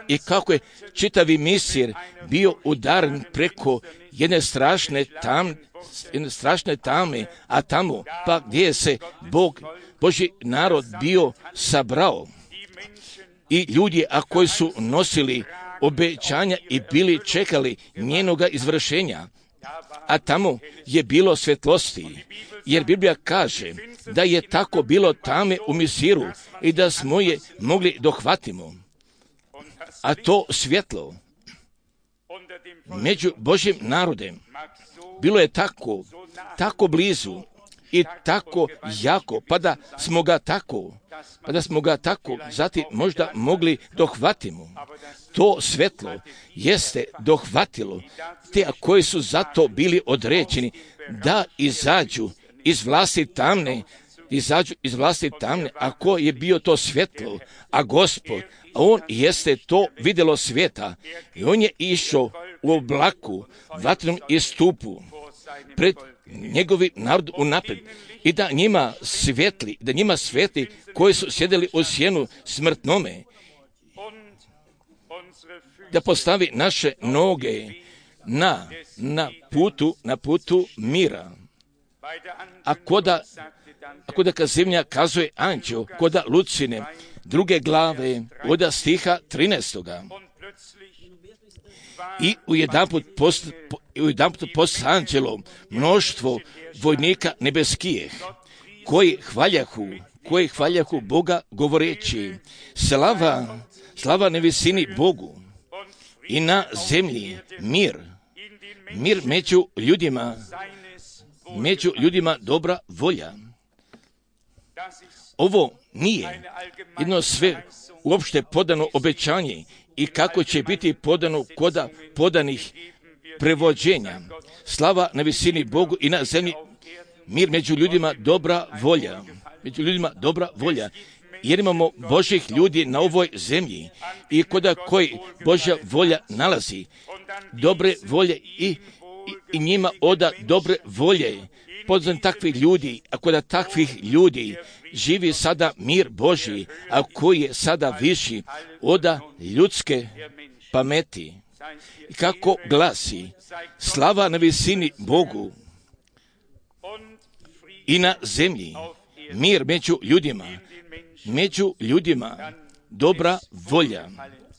i kako je čitavi Misir bio udaren preko jedne strašne tam, jedne strašne tame, a tamo pa gdje se Bog, Božji narod bio sabrao i ljudi a koji su nosili obećanja i bili čekali njenoga izvršenja, a tamo je bilo svjetlosti, jer Biblija kaže da je tako bilo tame u Misiru i da smo je mogli dohvatimo. A to svjetlo među Božjim narodem bilo je tako, tako blizu i tako jako, pa da smo ga tako, pa da smo ga tako zatim možda mogli dohvatimo. To svjetlo jeste dohvatilo te koji su zato bili određeni da izađu iz vlasti tamne, izađu iz vlasti tamne, a ko je bio to svjetlo, a Gospod, a on jeste to vidjelo svijeta i on je išao u oblaku, vatrenom istupu pred njegovi narod unaprijed i da njima svijetli, da njima svijetli koji su sjedili u sjenu smrtnome, da postavi naše noge na, na putu, na putu mira. A koda, a koda kad zemlja kazuje anđeo, koda Lucine, druge glave, od stiha trinaestoga. I u jedanput post, u jedanput post anđelom mnoštvo vojnika nebeskijeh, koji hvaljahu, koji hvaljahu Boga govoreći, slava, slava na visini Bogu i na zemlji mir, mir među ljudima, među ljudima dobra volja. Ovo nije jedno sve uopšte podano obećanje i kako će biti podano koda podanih prevođenja. Slava na visini Bogu i na zemlji mir među ljudima dobra volja. Među ljudima dobra volja. Jer imamo Božih ljudi na ovoj zemlji i koda koji Božja volja nalazi, dobre volje i i njima oda dobre volje. Poznam takvih ljudi, ako da takvih ljudi živi sada mir Božji, a koji je sada viši oda ljudske pameti. I kako glasi, slava na visini Bogu i na zemlji, mir među ljudima, među ljudima, dobra volja,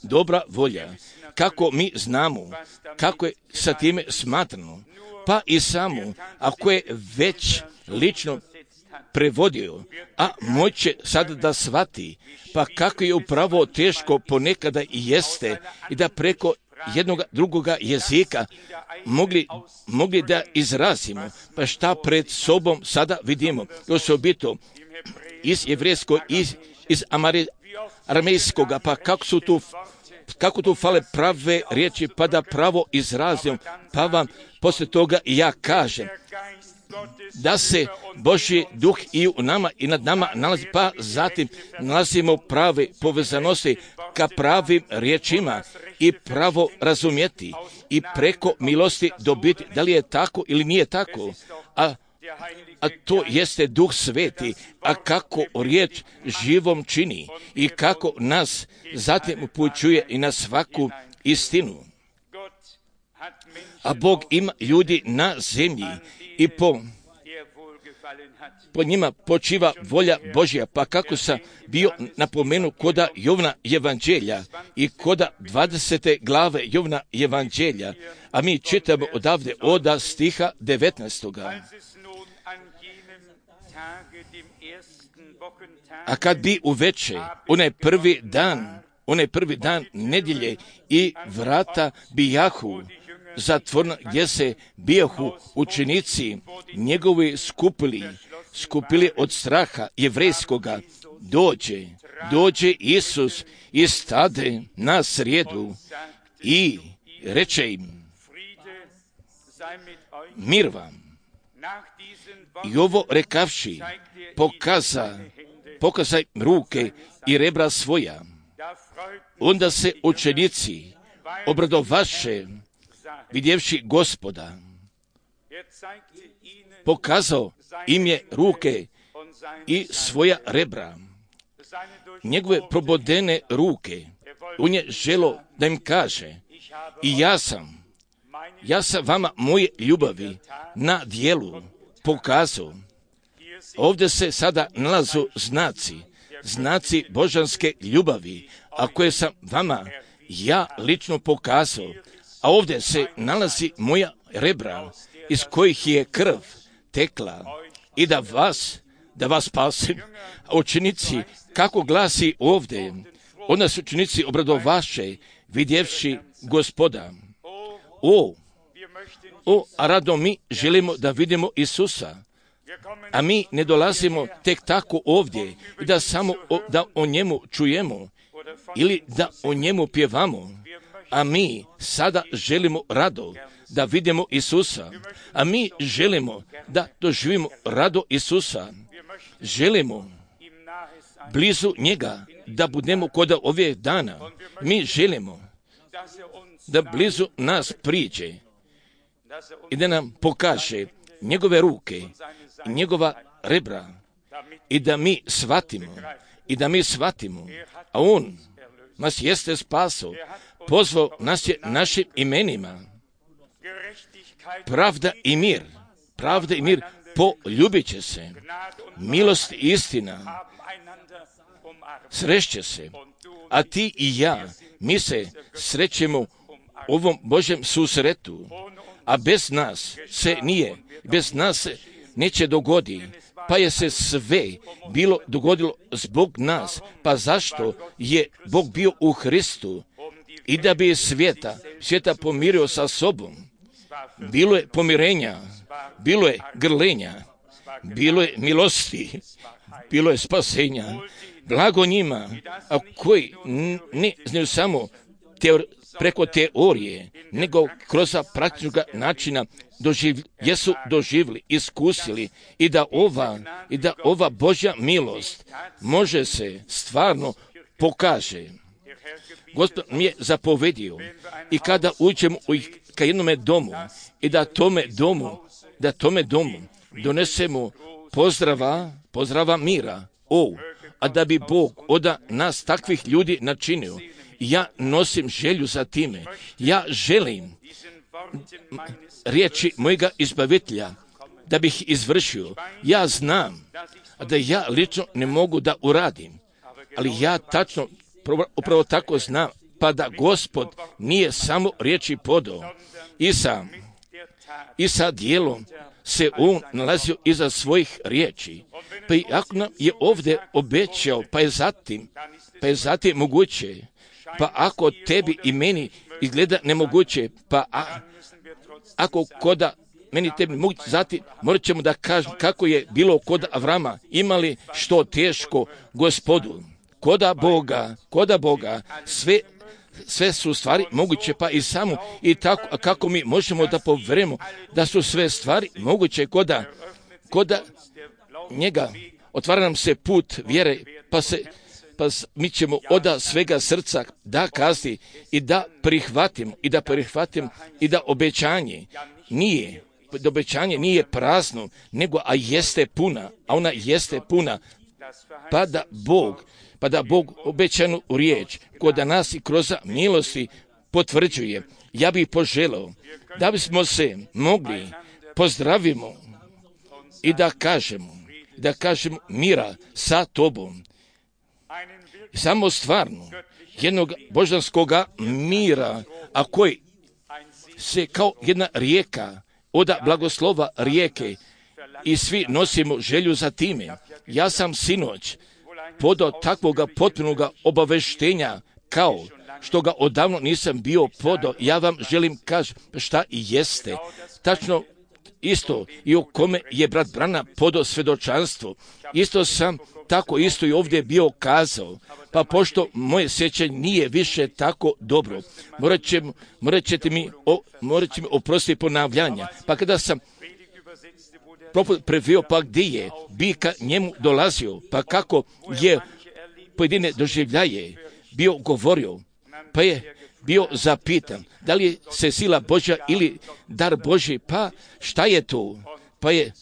dobra volja. Kako mi znamo, kako je sa time smatrano, pa i samo, ako je već lično prevodio, a moće sad da shvati, pa kako je upravo teško ponekada i jeste i da preko jednog drugoga jezika mogli, mogli da izrazimo, pa šta pred sobom sada vidimo, osobito iz jevrejskog, iz, iz aramejskoga, pa kako su tu kako tu fale prave riječi, pa da pravo izrazim, pa vam poslije toga i ja kažem da se Božji duh i u nama i nad nama nalazi, pa zatim nalazimo prave povezanosti ka pravim riječima i pravo razumjeti i preko milosti dobiti, da li je tako ili nije tako, a a to jeste Duh Sveti, a kako riječ živom čini i kako nas zatim upućuje i na svaku istinu. A Bog ima ljudi na zemlji i po, po njima počiva volja Božja, pa kako sam bio napomenu koda Jovna evanđelja i koda dvadesete glave Jovna evanđelja, a mi čitamo odavde oda stiha devetnaestoga. A kad bi uveče, onaj prvi dan, onaj prvi dan nedjelje i vrata bijahu zatvorna, gdje se bijahu učenici njegovi skupili, skupili od straha jevrejskoga, dođe, dođe Isus i stade na srijedu i reče im, mir vam. I ovo rekavši, pokaza, pokazaj ruke i rebra svoja. Onda se učenici obradovaše, vidjevši Gospoda. Pokazao im je ruke i svoja rebra, njegove probodene ruke. On je želo da im kaže, i ja sam, ja sam vama moje ljubavi na dijelu pokazao. Ovdje se sada nalazu znaci, znaci božanske ljubavi, a koje sam vama ja lično pokazao. A ovdje se nalazi moja rebra, iz kojih je krv tekla i da vas, da vas spasim. A učenici, kako glasi ovdje, onda su učenici obradovaše, vidjevši Gospoda. O, o, a rado mi želimo da vidimo Isusa. A mi ne dolazimo tek tako ovdje i da samo o, da o njemu čujemo ili da o njemu pjevamo. A mi sada želimo rado da vidimo Isusa. A mi želimo da doživimo rado Isusa. Želimo blizu njega da budemo kod ovih dana. Mi želimo da blizu nas priđe i da nam pokaže njegove ruke i njegova rebra i da mi shvatimo i da mi shvatimo, a on nas jeste spasao, pozvao nas je našim imenima. Pravda i mir, pravda i mir poljubit će se, milost i istina srešće se, a ti i ja, mi se srećemo u ovom Božjem susretu, a bez nas se nije, bez nas se neće dogodi, pa je se sve bilo dogodilo zbog nas. Pa zašto je Bog bio u Hristu? I da bi svijeta, svijeta pomirio sa sobom. Bilo je pomirenja, bilo je grlenja, bilo je milosti, bilo je spasenja. Blago njima, a koji ne znaju samo teor, preko teorije, nego kroz praktičnog načina doživ, jesu doživjeli, iskusili i da ova i da ova Božja milost može se stvarno pokaže. Gospod mi je zapovedio i kada uđemo u ka jednome domu i da tome domu, da tome domu donesemo pozdrava, pozdrava mira. O, a da bi Bog od nas takvih ljudi načinio, ja nosim želju za time. Ja želim riječi mojega izbavitelja da bih izvršio. Ja znam da ja lično ne mogu da uradim, ali ja tačno upravo tako znam, pa da Gospod nije samo riječi podao i sa, i sa dijelom se on nalazio iza svojih riječi. Pa i ako nam je ovdje obećao, pa je zatim, pa je zatim moguće, pa ako tebi i meni izgleda nemoguće, pa a, ako koda meni tebi moguće, zatim morat ćemo da kažem kako je bilo kod Avrama, imali što teško Gospodu. Koda Boga, koda Boga, sve sve su stvari moguće, pa i samo i tako, kako mi možemo da poverujemo da su sve stvari moguće koda, koda njega otvara nam se put vjere, pa se pa mi ćemo oda svega srca da kazni i da prihvatimo i da prihvatimo i da obećanje nije, da obećanje nije prazno, nego a jeste puna, a ona jeste puna, pa da Bog pa da Bog obećanu riječ kod nas i kroz milosti potvrđuje. Ja bih poželao da bismo se mogli pozdravimo i da kažemo, da kažemo mira sa tobom. Samo stvarno jednog božanskog mira, a koji se kao jedna rijeka, oda blagoslova rijeke i svi nosimo želju za time. Ja sam sinoć podao takvoga potpunoga obaveštenja kao što ga odavno nisam bio podao. Ja vam želim kaži šta i jeste. Tačno isto i o kome je brat Branham podao svedočanstvo. Isto sam tako isto i ovdje bio kazao. Pa pošto moje sjećanje nije više tako dobro, morat, će, morat ćete mi, o, morat će mi oprostiti ponavljanja. Pa kada sam previo, pa gdje je bika njemu dolazio, pa kako je pojedine doživljaje bio govorio, pa je bio zapitan da li je se sila Božja ili dar Božji, pa šta je to? Pa je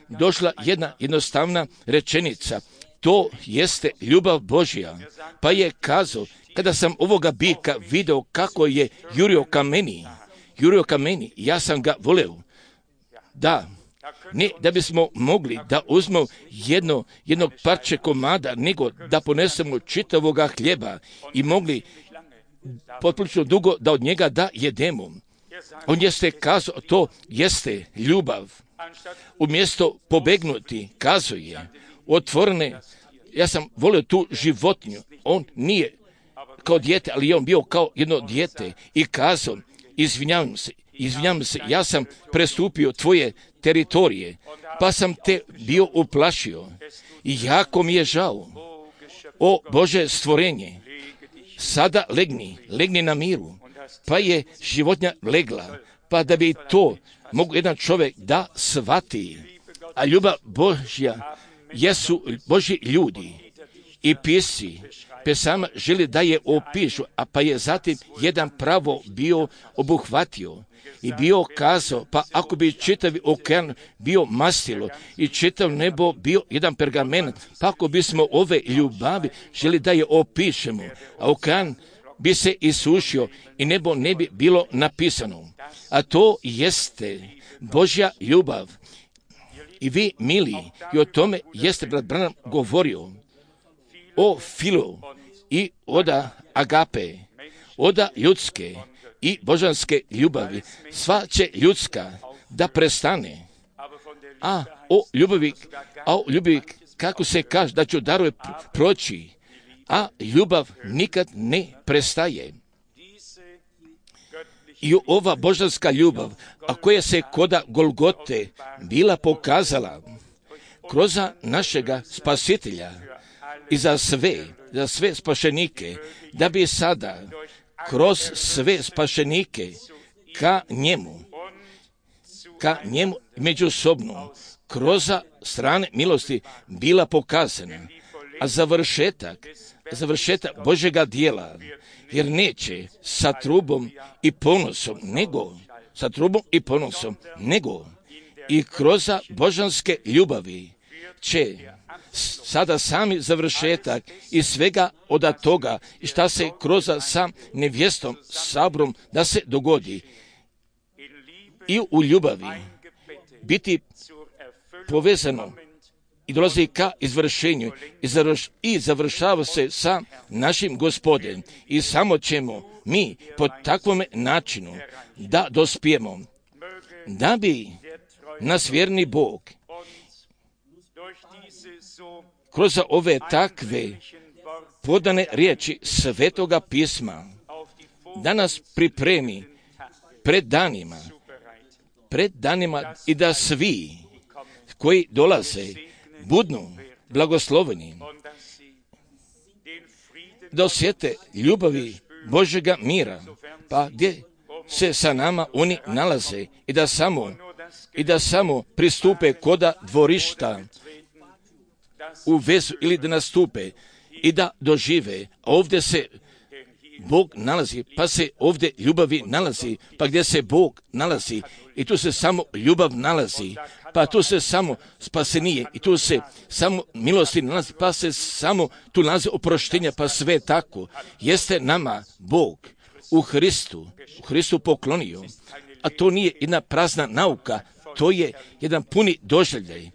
došla jedna jednostavna rečenica, to jeste ljubav Božja. Pa je kazao, kada sam ovoga bika video kako je jurio ka meni, jurio ka meni, ja sam ga voleo. Da, ne da bismo mogli da uzmemo jedno, jednog parče komada, nego da ponesemo čitavoga hljeba i mogli potpuno dugo da od njega da jedemo. On jeste kazao, to jeste ljubav. Umjesto pobegnuti, kazuje, otvorene, ja sam volio tu životinju, on nije kao dijete, ali je on bio kao jedno dijete i kazao, izvinjavam se, izvinjavam se, ja sam prestupio tvoje teritorije, pa sam te bio uplašio i jako mi je žao. O Bože stvorenje, sada legni, legni na miru, pa je životinja legla, pa da bi to mogu jedan čovjek da shvati. A ljubav Božja jesu Božji ljudi i pisci, pesama želi da je opišu, a pa je zatim jedan pravo bio obuhvatio i bio kazao, pa ako bi čitavi okean bio mastilo i čitav nebo bio jedan pergament, pa ako bismo ove ljubavi želi da je opišemo, a okean bi se isušio i nebo ne bi bilo napisano. A to jeste Božja ljubav. I vi, mili, i o tome jeste brat Branham govorio o filu i oda agape, oda ljudske i božanske ljubavi. Sva će ljudska da prestane, a o ljubavi, a o ljubavi kako se kaže da ću daruje proći, a ljubav nikad ne prestaje. I ova božanska ljubav, a koja se koda Golgote bila pokazala kroz našega spasitelja i za sve, za sve spašenike, da bi sada kroz sve spašenike ka njemu, ka njemu međusobno, kroz strane milosti bila pokazana. A završetak, završetak Božjega dijela, jer neće sa trubom i ponosom, nego, sa trubom i ponosom, nego i kroz božanske ljubavi će sada sami završetak i svega od toga i šta se kroz sa nevjestom, sabrom da se dogodi i u ljubavi biti povezano i dolazi ka izvršenju i, završ, i završava se sa našim Gospodem i samo ćemo mi po takvom načinu da dospijemo, da bi nas vjerni Bog kroz ove takve podane riječi Svetoga pisma da nas pripremi pred danima, pred danima i da svi koji dolaze budnu blagosloveni, da osjete ljubavi Božjega mira, pa gdje se sa nama oni nalaze i da samo, i da samo pristupe koda dvorišta u vezu ili da nastupe i da dožive. Ovdje se Bog nalazi, pa se ovdje ljubavi nalazi, pa gdje se Bog nalazi i tu se samo ljubav nalazi, pa tu se samo spasenije i tu se samo milosti nalazi, pa se samo tu nalazi oproštenja, pa sve tako jeste nama Bog u Hristu, u Hristu poklonio, a to nije jedna prazna nauka, to je jedan puni doživljaj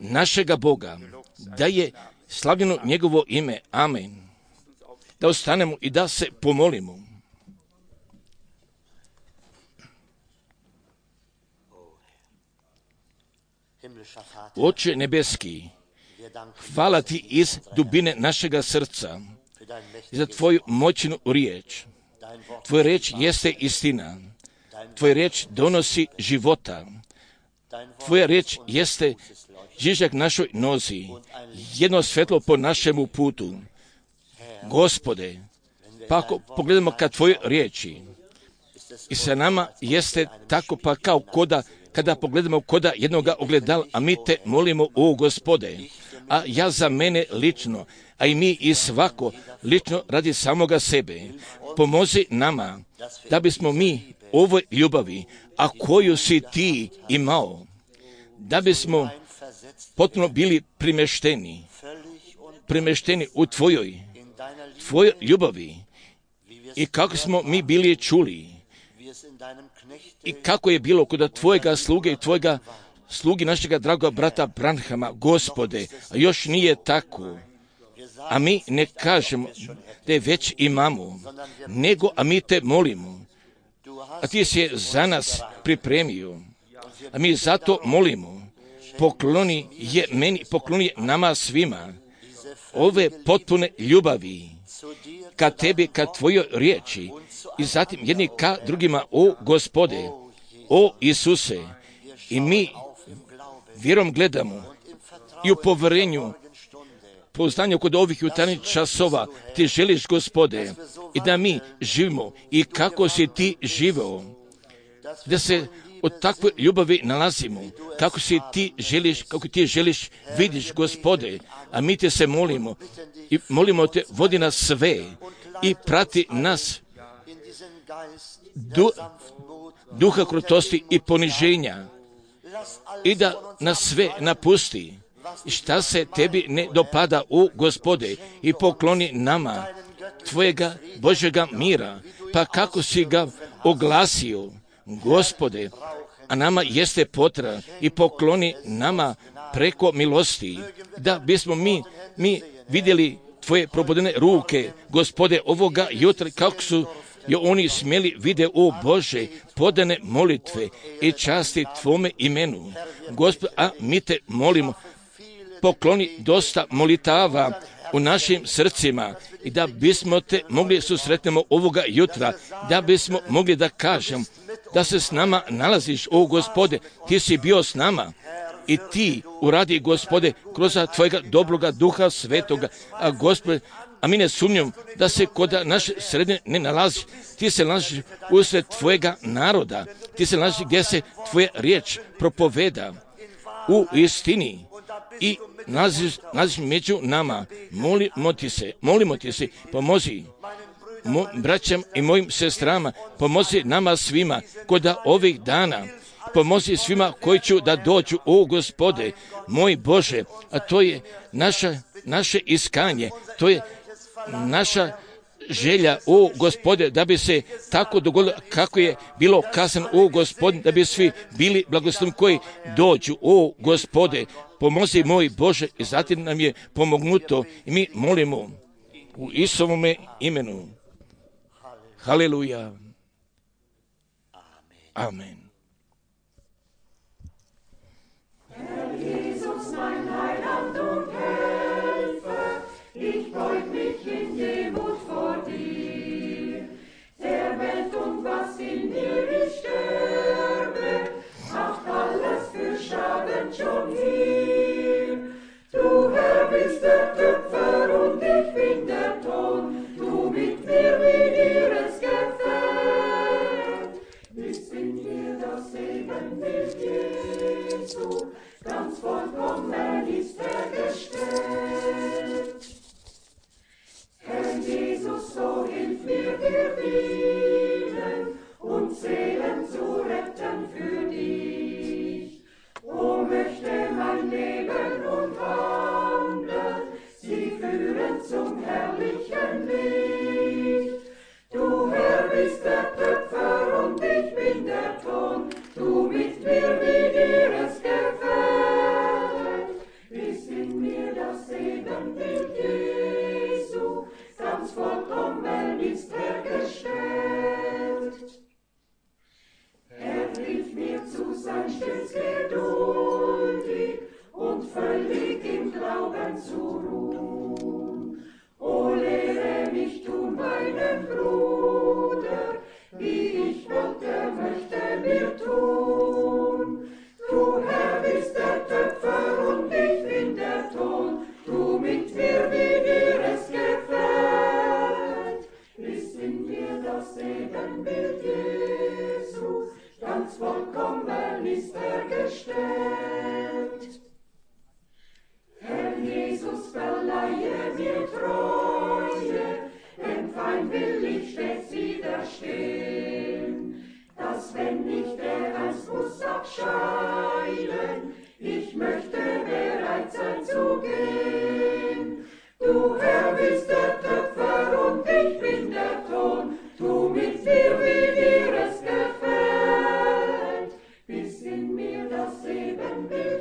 našega Boga, da je slavljeno njegovo ime. Amen. Da ostanemo i da se pomolimo. Oče nebeski, hvala ti iz dubine našega srca za tvoju moćnu riječ. Tvoja riječ jeste istina. Tvoja riječ donosi života. Tvoja riječ jeste žižak našoj nozi, jedno svetlo po našemu putu. Gospode, pa ako pogledamo ka tvojoj riječi i sa nama jeste tako pa kao koda, kada pogledamo koda jednoga ogledala, a mi te molimo, o Gospode, a ja za mene lično, a i mi i svako lično radi samoga sebe, pomozi nama da bismo mi ovoj ljubavi, a koju si ti imao, da bismo potpuno bili primešteni, primešteni u tvojoj, tvojoj ljubavi i kako smo mi bili čuli i kako je bilo kod tvojega sluge i tvojega slugi našega dragoga brata Branhama, Gospode, a još nije tako. A mi ne kažemo da je već imamo, nego a mi te molimo, a ti si je za nas pripremio, a mi zato molimo, pokloni je meni, pokloni je nama svima ove potpune ljubavi ka tebi, ka tvojoj riječi i zatim jedni ka drugima, o Gospode, o Isuse, i mi vjerom gledamo i u povjerenju, pouzdanju kod ovih jutarnjih časova ti želiš, Gospode, i da mi živimo i kako si ti živeo, da se od takve ljubavi nalazimo, kako si ti želiš, kako ti želiš, vidiš, Gospode, a mi te se molimo i molimo te, vodi nas sve i prati nas du, duha krutosti i poniženja i da nas sve napusti i šta se tebi ne dopada, u Gospode, i pokloni nama tvojega Božjega mira, pa kako si ga oglasio, Gospode, a nama jeste potreban, i pokloni nama preko milosti, da bismo mi, mi vidjeli tvoje probudene ruke, Gospode, ovoga jutra, kako su jo oni smjeli vide, o Bože, podane molitve i časti tvome imenu, Gospode, a mi te molimo, pokloni dosta molitava u našim srcima i da bismo te mogli susretnemo ovoga jutra, da bismo mogli da kažem da se s nama nalaziš, o Gospode, ti si bio s nama i ti uradi, Gospode, kroz tvojega dobroga duha svetoga, a Gospode, a mi ne sumnjam da se kod naše sredine ne nalazi, ti se nalaziš usred tvojega naroda, ti se nalaziš gdje se tvoja riječ propoveda u istini i nalaziš među nama. Molimo ti se, molimo ti se, pomozi mo, braćam i mojim sestrama, pomozi nama svima kod ovih dana. Pomozi svima koji će da dođu, o Gospode, moj Bože, a to je naša, naše iskanje, to je naša želja, o Gospode, da bi se tako dogodilo kako je bilo kazano, o Gospode, da bi svi bili blagosloveni koji dođu, o Gospode, pomozi moj Bože, i zatim nam je pomognuto i mi molimo u Isovome imenu. Haleluja. Amen. Herr Jesus, mein Heiland und Helfer, ich beug mich in Demut vor dir. Der Welt und was in mir ich sterbe, macht alles für Schaden schon hier. Du Herr bist der Töpfer und ich bin der Ton, du mit mir wie dir es gefällt. Ist in mir das Ebenbild Jesu, ganz vollkommen ist er gestellt. Herr Jesus, so hilf mir dir dienen und Seelen zu retten für dich. O möchte mein Leben und Handeln sie führen zum herrlichen Licht. Du Herr bist der Töpfer und ich bin der Ton, du mit mir wie dir es gefällt. Ist in mir das Ebenbild Jesu, ganz vollkommen ist er gestellt. Er hilft mir zu sein stets geduldig und völlig im Glauben zu ruhen. O lehre mich tun meinem Bruder, wie ich wollte, möchte mir tun. Du Herr bist der Töpfer und ich bin der Ton, du mit mir, wie dir es gefällt. Ist in mir das Ebenbild Jesu, ganz vollkommen ist er gestellt. Herr Jesus, verleihe mir Treue, dem Feind will ich stets widerstehen, dass wenn ich der einst muss abscheiden, ich möchte bereit sein zu gehen. Du Herr bist der Töpfer und ich bin der Ton, du mit mir, wie dir es gefällt, bis in mir das Ebenbild